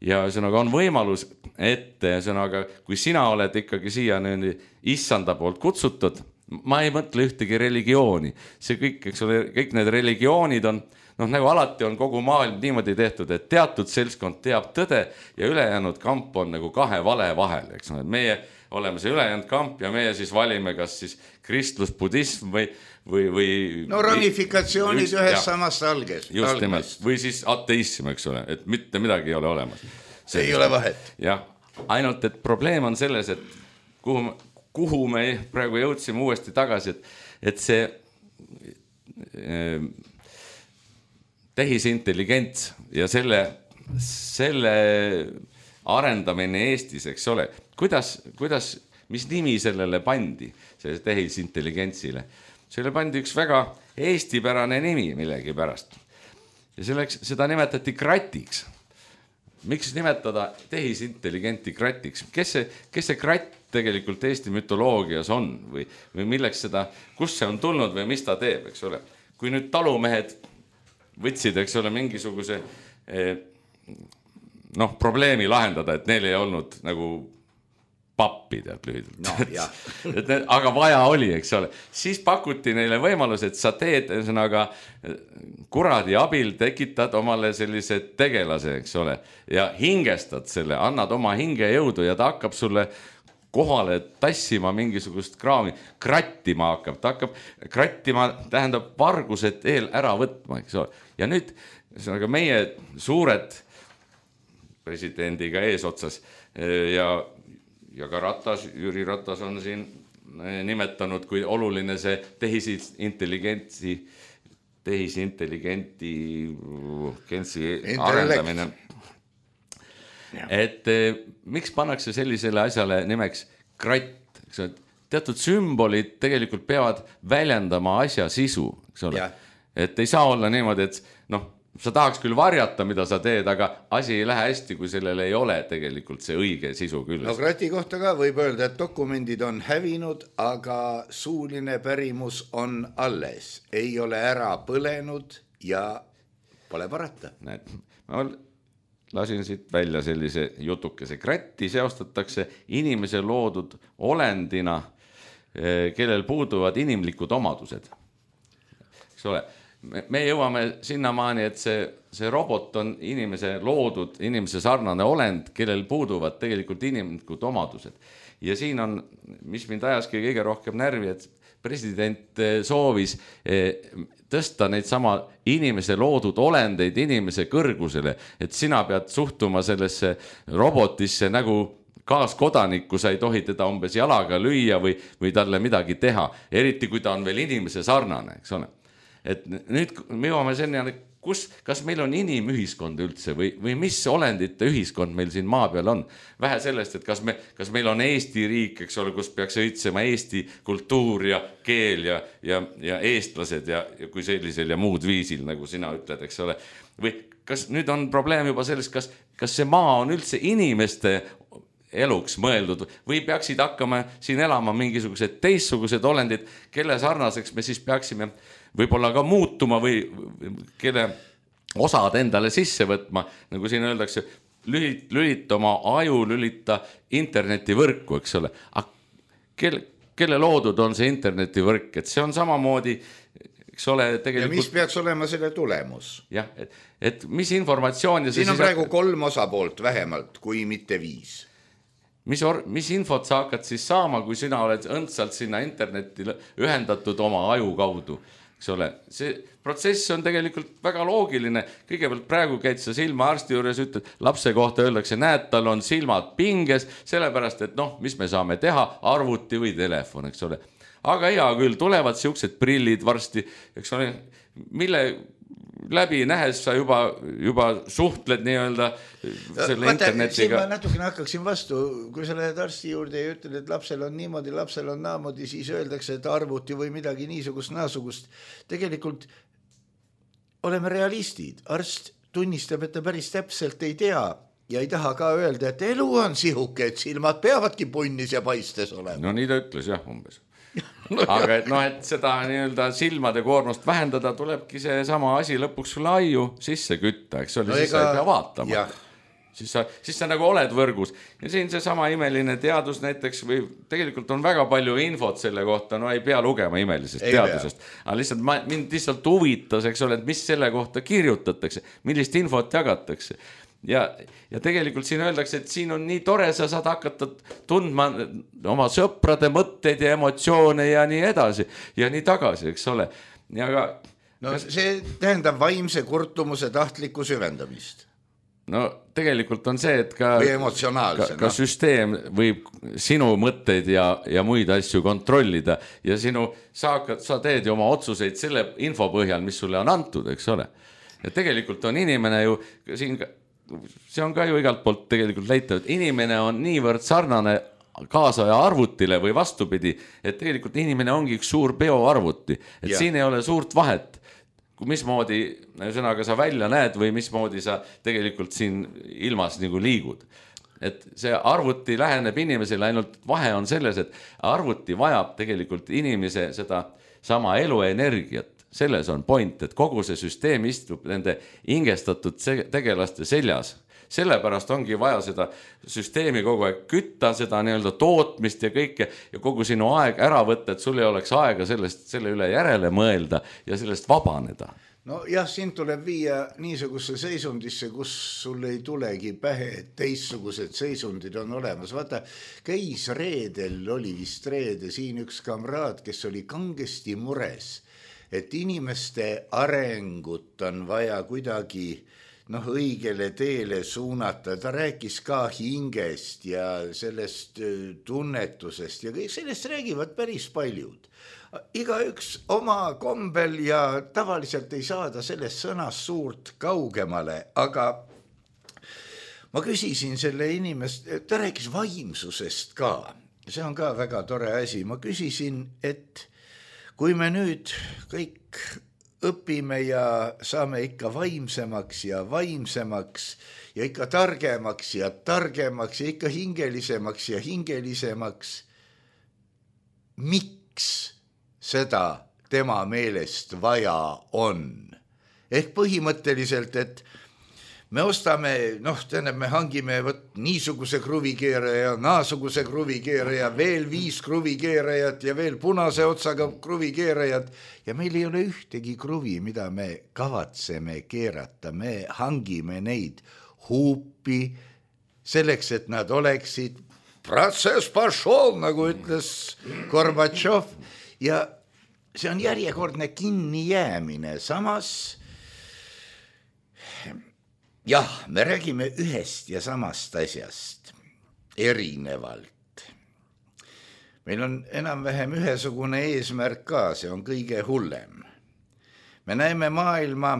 Ja sõnaga on võimalus, et sõnaga, kui sina oled ikkagi siia nende issanda poolt kutsutud, ma ei mõtle ühtegi religiooni. See kõik, eks ole, kõik need religioonid on, noh, nagu alati on kogu maailm niimoodi tehtud, et teatud seltskond teab tõde ja ülejäänud kamp on nagu kahe vale vahel, eks ole. Meie oleme see ülejäänud kamp ja meie siis valime kas siis kristlus, budism või, või, või no ramifikatsioonid just, ühes ja, samast alges. Just nimelt, või siis ateism, eks ole, et mitte midagi ei ole olemas. see ei ole vahet. Jah, ainult, et probleem on selles, et kuhu, kuhu me praegu jõudsime uuesti tagasi, et, et see äh, tehisintelligents ja selle, selle arendamine Eestis, eks ole, kuidas, kuidas, mis nimi sellele pandi, selle tehisintelligentsile? Selle pandi üks väga eestipärane nimi millegi pärast. Ja selleks, seda nimetati kratiks. Miks nimetada tehisintelligenti kratiks? Kes see, kes see kratt tegelikult Eesti mütoloogias on või, või milleks seda, kus see on tulnud või mis ta teeb, eks ole? Kui nüüd talumehed võtsid, eks ole, mingisuguse noh, probleemi lahendada, et neil ei olnud nagu pappi tead lühidalt. No, et need, aga vaja oli, eks ole. Siis pakuti neile võimalus, et sa teed ühesõnaga kuradi abil tekitad omale sellise tegelase, eks ole, ja hingestad selle, annad oma hingejõudu ja ta hakkab sulle kohale tassima mingisugust kraami, krattima hakkab, ta hakkab krattima, tähendab vargused eel ära võtma, eks ole. Ja nüüd ühesõnaga meie suured presidendiga eesotsas ja ja ka Ratas, Jüri Ratas on siin nimetanud, kui oluline see tehisintelligentsi, tehisintelligenti arendamine. Et miks pannakse sellisele asjale nimeks kratt? Teatud sümbolid tegelikult peavad väljendama asja sisu, eks ole. Et ei saa olla niimoodi, et noh, sa tahaks küll varjata, mida sa teed, aga asi ei lähe hästi, kui sellel ei ole tegelikult see õige sisu küljes. No krati kohta ka võib öelda, et dokumendid on hävinud, aga suuline pärimus on alles. Ei ole ära põlenud ja pole parata. Näed, ma lasin siit välja sellise jutukese. Kratti seostatakse inimese loodud olendina, kellel puuduvad inimlikud omadused. Eks ole? Me jõuame sinnamaani, et see, see robot on inimese loodud, inimese sarnane olend, kellel puuduvad tegelikult inimlikud omadused. Ja siin on, mis mind ajaski kõige rohkem närvi, et president soovis tõsta neid sama inimese loodud olendeid inimese kõrgusele, et sina pead suhtuma sellesse robotisse nagu kaaskodanikku, sa ei tohi teda umbes jalaga lüüa või, või talle midagi teha, eriti kui ta on veel inimese sarnane, eks ole. Et nüüd me jõuame selline, kus, kas meil on inimühiskond üldse või, või mis olendite ühiskond meil siin maa peal on? Vähe sellest, et kas, me, kas meil on Eesti riik, eks ole, kus peaks õitsema Eesti kultuur ja keel ja, ja, ja eestlased ja, ja kui sellisel ja muud viisil, nagu sina ütled, eks ole. Või kas nüüd on probleem juba selles, kas, kas see maa on üldse inimeste eluks mõeldud või peaksid hakkama siin elama mingisugused teistsugused olendid, kelle sarnaseks me siis peaksime võib-olla ka muutuma või kelle osad endale sisse võtma, nagu siin öeldakse, lülita oma aju, lülita internetivõrku, eks ole. Kelle, kelle loodud on see internetivõrk, et see on samamoodi, eks ole, tegelikult... Ja mis peaks olema selle tulemus? Jah, et, et mis informatsioon... Ja siin on praegu kolm osapoolt vähemalt, kui mitte viis. Mis, or, mis infot sa hakkad siis saama, kui sina oled õndsalt sinna internetti ühendatud oma aju kaudu, eks ole. See protsess on tegelikult väga loogiline. Kõigepealt praegu käid sa silmaarsti juures, ütled, lapse kohta öeldakse, näed, tal on silmad pinges, sellepärast, et noh, mis me saame teha, arvuti või telefon, eks ole. Aga hea küll, tulevad siuksed prillid varsti, eks ole, mille... läbi nähes sa juba, juba suhtled nii-öelda selle Vaata, internetiga. Ma natukene hakkaksin vastu, kui sa lähed arsti juurde ja ütled, et lapsel on niimoodi, lapsel on naamoodi, siis öeldakse, et arvuti või midagi niisugust naasugust. Tegelikult oleme realistid. Arst tunnistab, et ta päris täpselt ei tea ja ei taha ka öelda, et elu on sihuke, et silmad peavadki punnis ja paistes olema. No nii ta ütles jah umbes. No, aga et, no, et seda nii-öelda silmade koormust vähendada, tulebki see sama asi lõpuks sulle aiu sisse kütta, eks ole, no, siis ega... sa ei pea vaatama. Siis sa, siis sa nagu oled võrgus. Ja siin see sama imeline teadus näiteks, või tegelikult on väga palju infot selle kohta, no ei pea lugema imelisest ei teadusest. Pea. Aga lihtsalt ma, mind lihtsalt huvitas, eks ole, et mis selle kohta kirjutatakse, millist infot jagatakse. Ja, ja tegelikult siin öeldakse, et siin on nii tore, sa saad hakata tundma oma sõprade mõtteid ja emotsioone ja nii edasi ja nii tagasi, eks ole. Ja ka, no kas... see tähendab vaimse kurtumuse tahtlikku süvendamist. no tegelikult on see, et ka, ka, ka süsteem võib sinu mõtteid ja, ja muid asju kontrollida ja sinu, sa, sa teed ju oma otsuseid selle info põhjal, mis sulle on antud, eks ole. Ja tegelikult on inimene ju, siin, see on ka ju igalt poolt tegelikult leitav, et inimene on niivõrd sarnane kaasaja arvutile või vastupidi, et tegelikult inimene ongi üks suur bioarvuti, et ja. Siin ei ole suurt vahet, mismoodi sõnaga sa välja näed või mismoodi sa tegelikult siin ilmas nagu liigud. Et see arvuti läheneb inimesele, ainult vahe on selles, et arvuti vajab tegelikult inimese seda sama eluenergiat. Selles on point, et kogu see süsteem istub nende ingestatud tegelaste seljas. Sellepärast ongi vaja seda süsteemi kogu aeg kütta, seda nii-öelda tootmist ja kõike ja kogu sinu aeg ära võtta, et sul ei oleks aega sellest, selle üle järele mõelda ja sellest vabaneda. No jah, siin tuleb viia niisuguse seisundisse, kus sul ei tulegi pähe, et teistsugused seisundid on olemas. Vaata, käis reedel, oli vist reede siin üks kamraad, kes oli kangesti mures, et inimeste arengut on vaja kuidagi noh, õigele teele suunata. Ta rääkis ka hingest ja sellest tunnetusest ja kõik sellest räägivad päris paljud. Iga üks oma kombel ja tavaliselt ei saada sellest sõnast suurt kaugemale, aga ma küsisin selle inimest, ta rääkis vaimsusest ka. See on ka väga tore asi. Ma küsisin, et kui me nüüd kõik õpime ja saame ikka vaimsemaks ja vaimsemaks ja ikka targemaks ja targemaks ja ikka hingelisemaks ja hingelisemaks. Miks seda tema meelest vaja on? Ehk põhimõtteliselt, et me ostame, noh, tähendab, me hangime võt, niisuguse kruvikeeraja, naasuguse kruvikeeraja, veel viis kruvikeerajat ja veel punase otsaga kruvikeerajad ja meil ei ole ühtegi kruvi, mida me kavatseme keerata. Me hangime neid huupi selleks, et nad oleksid protsess pašol, nagu ütles Gorbatšov ja see on järjekordne kinnijäämine. Samas jah, me räägime ühest ja samast asjast erinevalt. Meil on enam-vähem ühesugune eesmärk ka, see on kõige hullem. Me näeme maailma,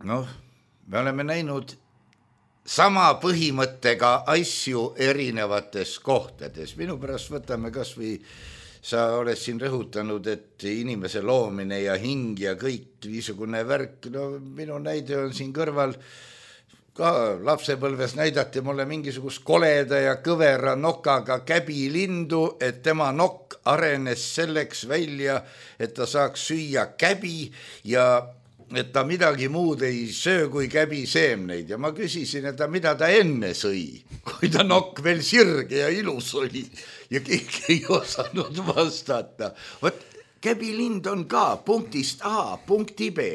noh, me oleme näinud sama põhimõttega asju erinevates kohtades. Minu pärast võtame kas või sa oled siin rõhutanud, et inimese loomine ja hing ja kõik niisugune värk, no minu näide on siin kõrval, ka lapsepõlves näidati mulle mingisugust koleda ja kõvera nokaga käbilindu, et tema nokk arenes selleks välja, et ta saaks süüa käbi ja et ta midagi muud ei söö kui käbiseemneid ja ma küsisin, et ta mida ta enne sõi, kui ta nokk veel sirge ja ilus oli ja keegi ei osanud vastata. Võt, käbilind on ka punktist A punkti B.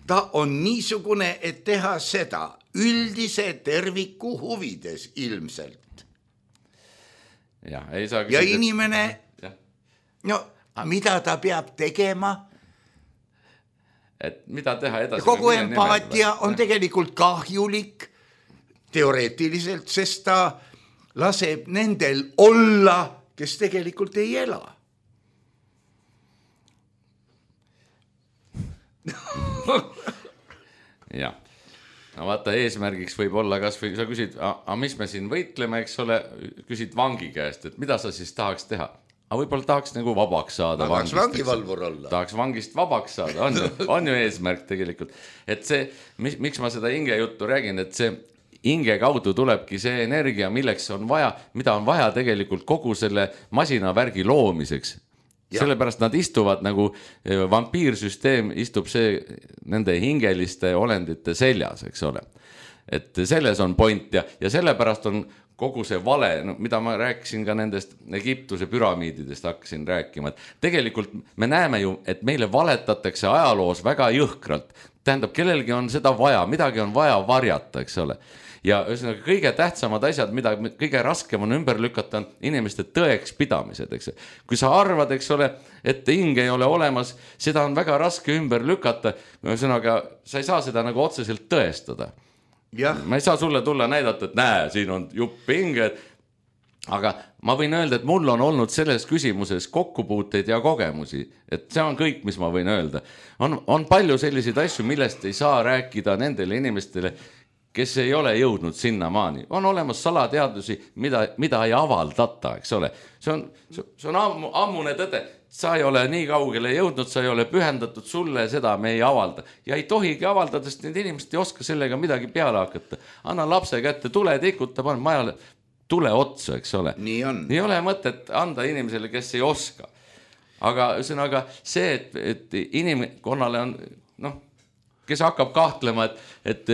Ta on niisugune, et teha seda üldise terviku huvides ilmselt. Ja, ei saa ja inimene, ja. No mida ta peab tegema? Et mida teha edasi? Kogu empaatia on tegelikult kahjulik teoreetiliselt, sest ta laseb nendel olla, kes tegelikult ei ela. jah. No vaata, eesmärgiks võib olla kas või sa küsid, aga mis me siin võitleme, eks ole, küsid vangi käest, et mida sa siis tahaks teha? Aga võib-olla tahaks nagu vabaks saada. Tahaks vangivalvur olla. Tahaks vangist vabaks saada, on ju, on ju eesmärk tegelikult. Et see, miks ma seda hinge juttu räägin, et see hinge kaudu tulebki see energia, milleks on vaja, mida on vaja tegelikult kogu selle masinavärgi loomiseks. Ja. Sellepärast nad istuvad nagu vampiirsüsteem istub see nende hingeliste olendite seljas, eks ole. Et selles on point ja, ja sellepärast on kogu see vale, no, mida ma rääkisin ka nendest Egiptuse püramiididest hakkasin rääkima, et tegelikult me näeme ju, et meile valetatakse ajaloos väga jõhkralt. Tähendab, kellelgi on seda vaja, midagi on vaja varjata, eks ole. Ja ühesõnaga kõige tähtsamad asjad, mida kõige raskem on ümber lükata, on inimeste tõeks pidamised, eks. Kui sa arvad, eks ole, et hing ei ole olemas, seda on väga raske ümber lükata, ühesõnaga sa ei saa seda nagu otseselt tõestada. ma ei saa sulle tulla näidata, et näe, siin on jupp hinged, aga ma võin öelda, et mul on olnud selles küsimuses kokkupuuteid ja kogemusi, et see on kõik, mis ma võin öelda. On, on palju selliseid asju, millest ei saa rääkida nendele inimestele, kes ei ole jõudnud sinna maani. On olemas salateadusi, mida, mida ei avaldata, eks ole. See on, see on ammu, ammune tõde. Sa ei ole nii kaugele jõudnud, sa ei ole pühendatud sulle, seda me ei avalda. Ja ei tohigi avaldada, sest need inimesed ei oska sellega midagi peale hakata. Anna lapse kätte, tule tikuta, pane majale, tule otsa, eks ole. Nii on. Ei ole mõtet anda inimesele, kes ei oska. Aga ühesõnaga see, et, et inimkonnale on, noh, kes hakkab kahtlema, et, et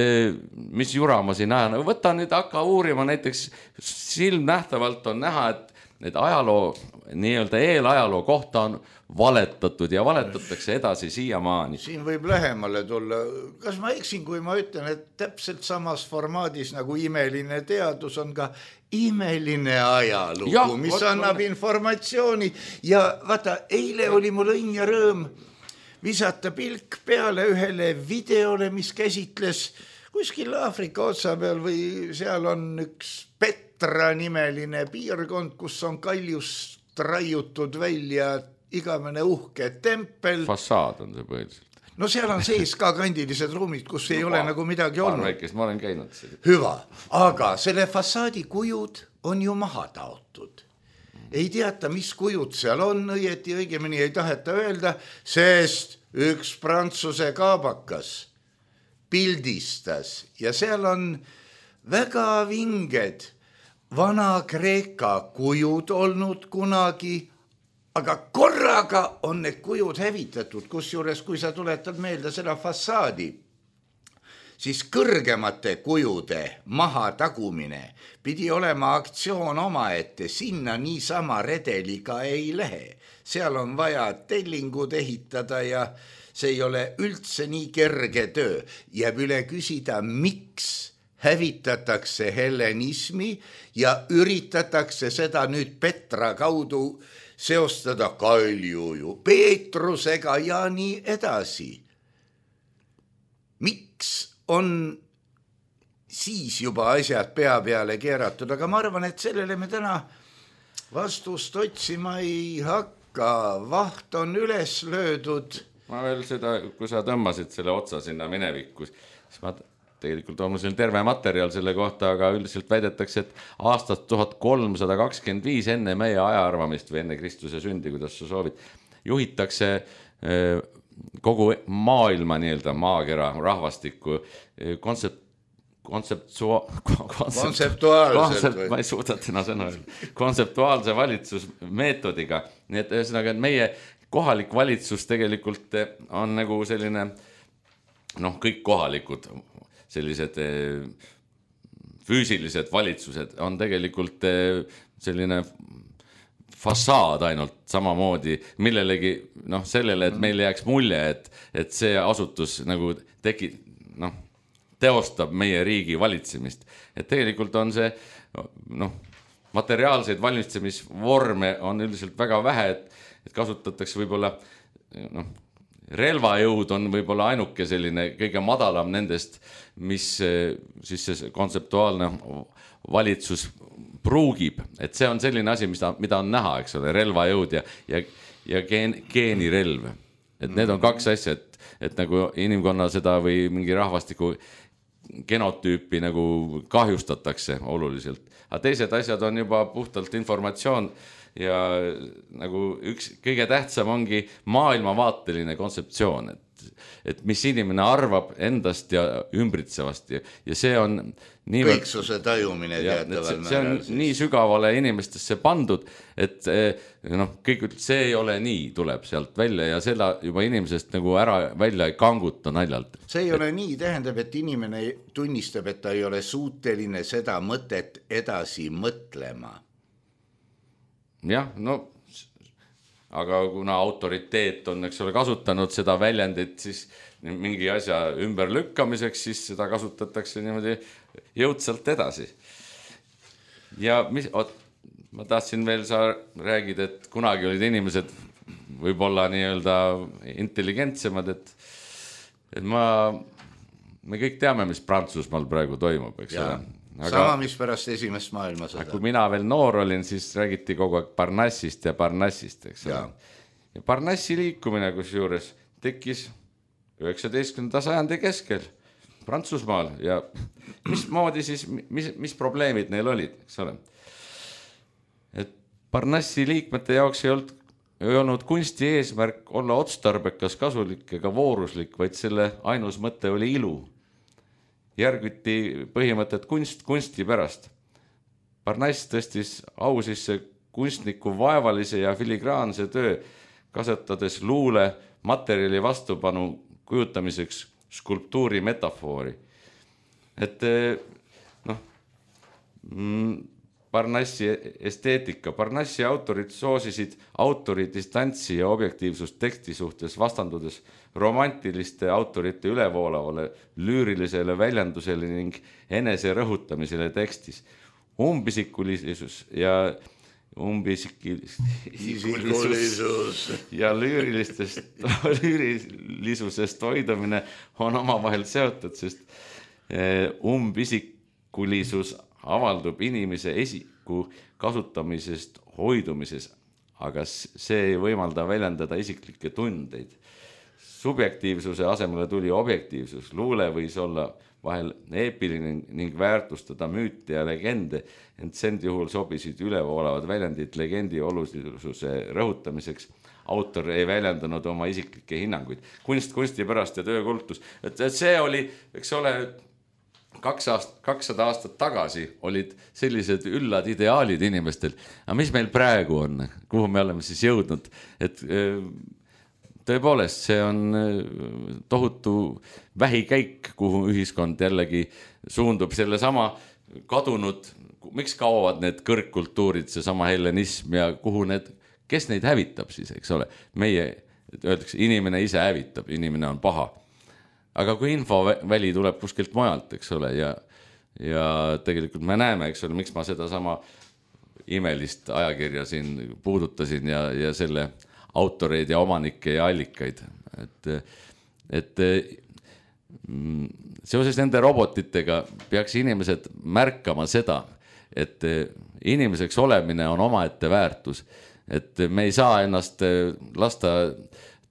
mis jura ma siin näen. Võta nüüd hakka uurima, näiteks silmnähtavalt on näha, et need ajaloo, nii-öelda eelajaloo kohta on valetatud ja valetatakse edasi siiamaani. Siin võib lähemale tulla. Kas ma eksin, kui ma ütlen, et täpselt samas formaadis nagu imeline teadus on ka imeline ajalugu, ja, mis võt, annab võt. informatsiooni. Ja vaata, eile oli mul õnn ja rõõm visata pilk peale ühele videole, mis käsitles kuskil Aafrika otsa peal või seal on üks Petra nimeline piirkond, kus on kaljust raiutud välja igavene uhke tempel. Fassaad on see põhiliselt. No seal on sees ka kandilised ruumid, kus ei no, ole ma, nagu midagi olnud. Väikest, ma olen käinud. Hüva, aga selle fassaadi kujud on ju maha taotud. Ei teata, mis kujud seal on, õieti õigemini ei taheta öelda, sest üks prantsuse kaabakas pildistas ja seal on väga vinged Vana-Kreeka kujud olnud kunagi, aga korraga on need kujud hävitatud, kusjuures kui sa tuletad meelde seda fassaadi, siis kõrgemate kujude maha tagumine pidi olema aktsioon omaette, sinna niisama redeliga ei lähe. Seal on vaja tellingud ehitada ja see ei ole üldse nii kerge töö. Jääb üle küsida, miks hävitatakse hellenismi ja üritatakse seda nüüd Petra kaudu seostada Kaljuju, Peetrusega ja nii edasi. Miks on siis juba asjad pea peale keeratud, aga ma arvan, et sellele me täna vastust otsima ei hakka. Vaht on üles löödud. Ma veel seda, kui sa tõmbasid selle otsa sinna minevikus, siis ma tegelikult on mul terve materjal selle kohta, aga üldiselt väidetakse, et aastast tuhat kolmsada kakskümmend viis enne meie ajaarvamist või enne Kristuse sündi, kuidas sa soovid, juhitakse kogu maailma nii-öelda maakera rahvastikku kontsept, kontseptua, kontseptuaalselt ma ei suuda täna sõna öelda, kontseptuaalse valitsusmeetodiga. Nii et ühesõnaga, et meie kohalik valitsus tegelikult on nagu selline, noh, kõik kohalikud sellised füüsilised valitsused on tegelikult selline fassaad ainult samamoodi millelegi, noh, sellele, et meil jääks mulje, et, et see asutus nagu teki, noh, teostab meie riigi valitsemist. Et tegelikult on see, noh, materiaalseid valitsemisvorme on üldiselt väga vähe, et, et kasutatakse võib-olla, noh, relvajõud on võib-olla ainuke selline kõige madalam nendest, mis siis see kontseptuaalne valitsus pruugib. Et see on selline asi, mida, mida on näha, eks ole, relvajõud ja, ja, ja geen, geenirelv. Et need on kaks asja, et, et nagu inimkonna seda või mingi rahvastiku genotüüpi nagu kahjustatakse oluliselt. Aga teised asjad on juba puhtalt informatsioon ja nagu üks kõige tähtsam ongi maailmavaateline kontseptsioon, et, et mis inimene arvab endast ja ümbritsevast ja, ja see on nii kõiksuse tajumine ja, see, see on siis nii sügavale inimestesse pandud, et noh, kõik see ei ole nii, tuleb sealt välja ja seda juba inimesest nagu ära välja ei kanguta naljalt. See ei ole nii, tähendab, et inimene tunnistab, et ta ei ole suuteline seda mõtet edasi mõtlema. Jah, no, aga kuna autoriteet on, eks ole, kasutanud seda väljendit, siis mingi asja ümberlükkamiseks, siis seda kasutatakse niimoodi jõudsalt edasi. Ja mis, oot, ma tahtsin veel, sa räägid, et kunagi olid inimesed võib-olla nii-öelda intelligentsemad, et, et ma me kõik teame, mis Prantsusmaal praegu toimub, eks ole. Aga, sama, mis pärast esimest maailmasõda. Kui mina veel noor olin, siis räägiti kogu aeg Parnassist ja Parnassist, eks ole. Ja Parnassi liikumine, kus juures tekkis üheksateistkümnenda sajandi keskel Prantsusmaal ja mis moodi siis, mis, mis probleemid neil olid, eks ole. Et Parnassi liikmete jaoks ei olnud, ei olnud kunsti eesmärk olla otstarbekas, kasulik ega vooruslik, vaid selle ainus mõte oli ilu. Järgiti põhimõtet kunst kunsti pärast. Parnass tõstis au sisse kunstniku vaevalise ja filigraanse töö, kasutades luule materjali vastupanu kujutamiseks skulptuuri metafoori. Et noh, Parnassi esteetika. Parnassi autorid soosisid autori distantsi ja objektiivsust teksti suhtes vastandudes romantiliste autorite ülevoolavale lüürilisele väljendusele ning enese rõhutamisele tekstis. Umbisikulisus ja umbisikulisus ja lüürilistest, lüürilisusest hoidumine on omavahel seotud, sest umbisikulisus avaldub inimese esiku kasutamisest hoidumises, aga see ei võimalda väljendada isiklikke tundeid. Subjektiivsuse asemele tuli objektiivsus. Luule võis olla vahel eepiline ning väärtustada müüte ja legende, ent send juhul sobisid ülevoolavad väljendid legendi olulisuse rõhutamiseks. Autor ei väljendanud oma isiklikke hinnanguid. Kunst kunsti pärast ja töökultus. Et see oli, eks ole, kaks aast, kakssada aastat tagasi olid sellised üllad ideaalid inimestel. Aga mis meil praegu on? Kuhu me oleme siis jõudnud? Et tõepoolest, see on tohutu vähikäik, kuhu ühiskond jällegi suundub selle sama kadunud, miks kaovad need kõrgkultuurid, see sama hellenism ja kuhu need, kes neid hävitab siis, eks ole? Meie, öeldakse, inimene ise hävitab, inimene on paha. Aga kui infoväli tuleb kuskilt mujalt, eks ole, ja, ja tegelikult me näeme, eks ole, miks ma seda sama imelist ajakirja siin puudutasin ja, ja selle autoreid ja omanikke ja allikaid. Et, et seoses nende robotitega peaks inimesed märkama seda, et inimeseks olemine on omaette väärtus. Et me ei saa ennast lasta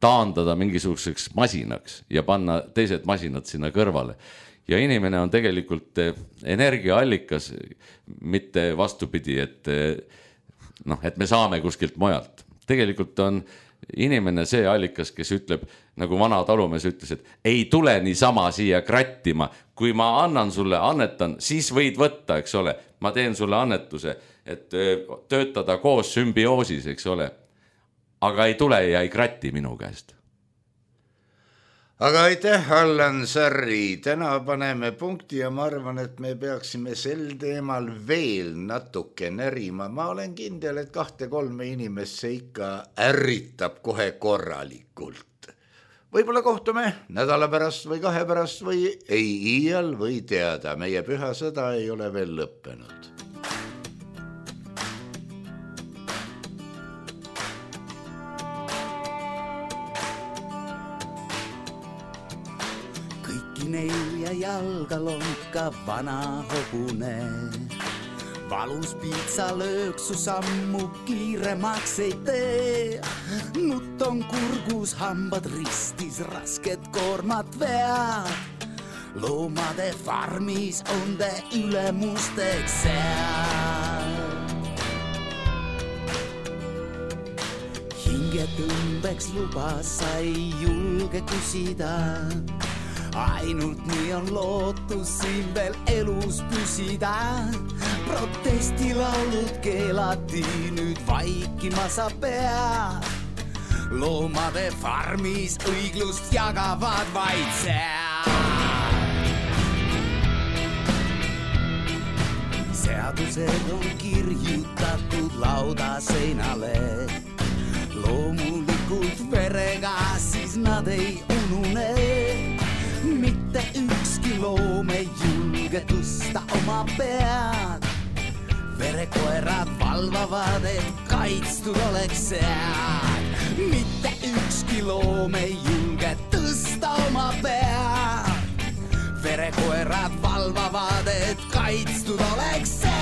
taandada mingisuguseks masinaks ja panna teised masinad sinna kõrvale. Ja inimene on tegelikult energiaallikas, mitte vastupidi, et, noh, et me saame kuskilt mujalt. Tegelikult on inimene see allikas, kes ütleb, nagu vana talumees ütles, et ei tule niisama siia krattima. Kui ma annan sulle, annetan, siis võid võtta, eks ole. Ma teen sulle annetuse, et töötada koos sümbioosis, eks ole. Aga ei tule ja ei krati minu käest. Aga aitäh, Allan Sarri. Täna paneme punkti ja ma arvan, et me peaksime sel teemal veel natuke närima. Ma olen kindel, et kahte kolme inimest see ikka ärritab kohe korralikult. Võib-olla kohtume nädala pärast või kahe pärast või ei iial või teada. Meie püha sõda ei ole veel lõppenud. Neljä jalkalonka vana hopune. Valus pizza lööksu sammu kiiremaks ei tee. Nyt on kurgus hambad ristis, rasket koormat vead. Loomade farmis on te ülemusteks seal. Hingetõmbeks luba sai julge küsida. Ainult nii on lootus siin veel elus püsida. Protestilaulud keelati, nüüd vaikima sa pead. Loomade farmis õiglust jagavad vaid seal. Seadused on kirjutatud lauda seinale. Loomulikult verega siis nad ei unune. Mitte ükski loom ei julge tõsta oma pead. Verekoerad valvavad, et kaitstud oleks seal. Mitte ükski loom ei julge tõsta oma pead. verekoerad valvavad, et kaitstud oleks seal.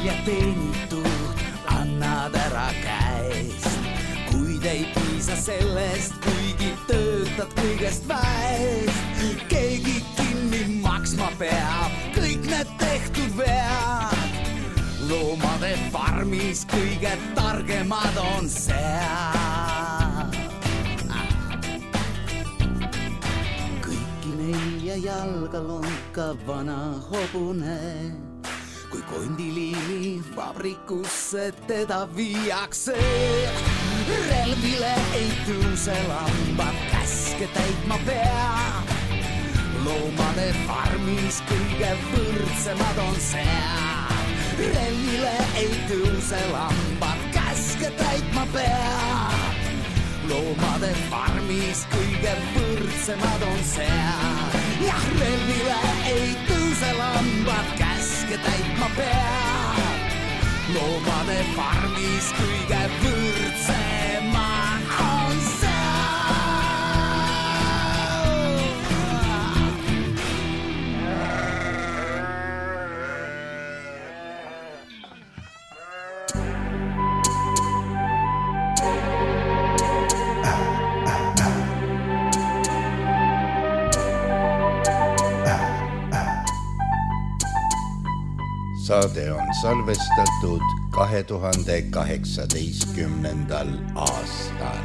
Ja teenitud annad ära käest, kuid ei piisa sellest, kuigi töötad kõigest väest. Keegi kinni maksma peab kõik need tehtud vead. Loomade farmis kõige targemad on seal. Kõiki nelja jalga lonka vana hobune, kui kondiliini vabrikusse teda viiakse. Relvile ei tõuse lambad, käske täitma peab. Loomade farmis kõige võrdsemad on seal. Relvile ei tõuse lambad, käske täitma peab. Loomade farmis kõige võrdsemad on seal. Jah, relvile ei tõuse lambad, käske täitma peab. Loomade farmis kõige võrdsemad on seal. Saade on salvestatud kahe tuhande kaheksateistkümnendal aastal.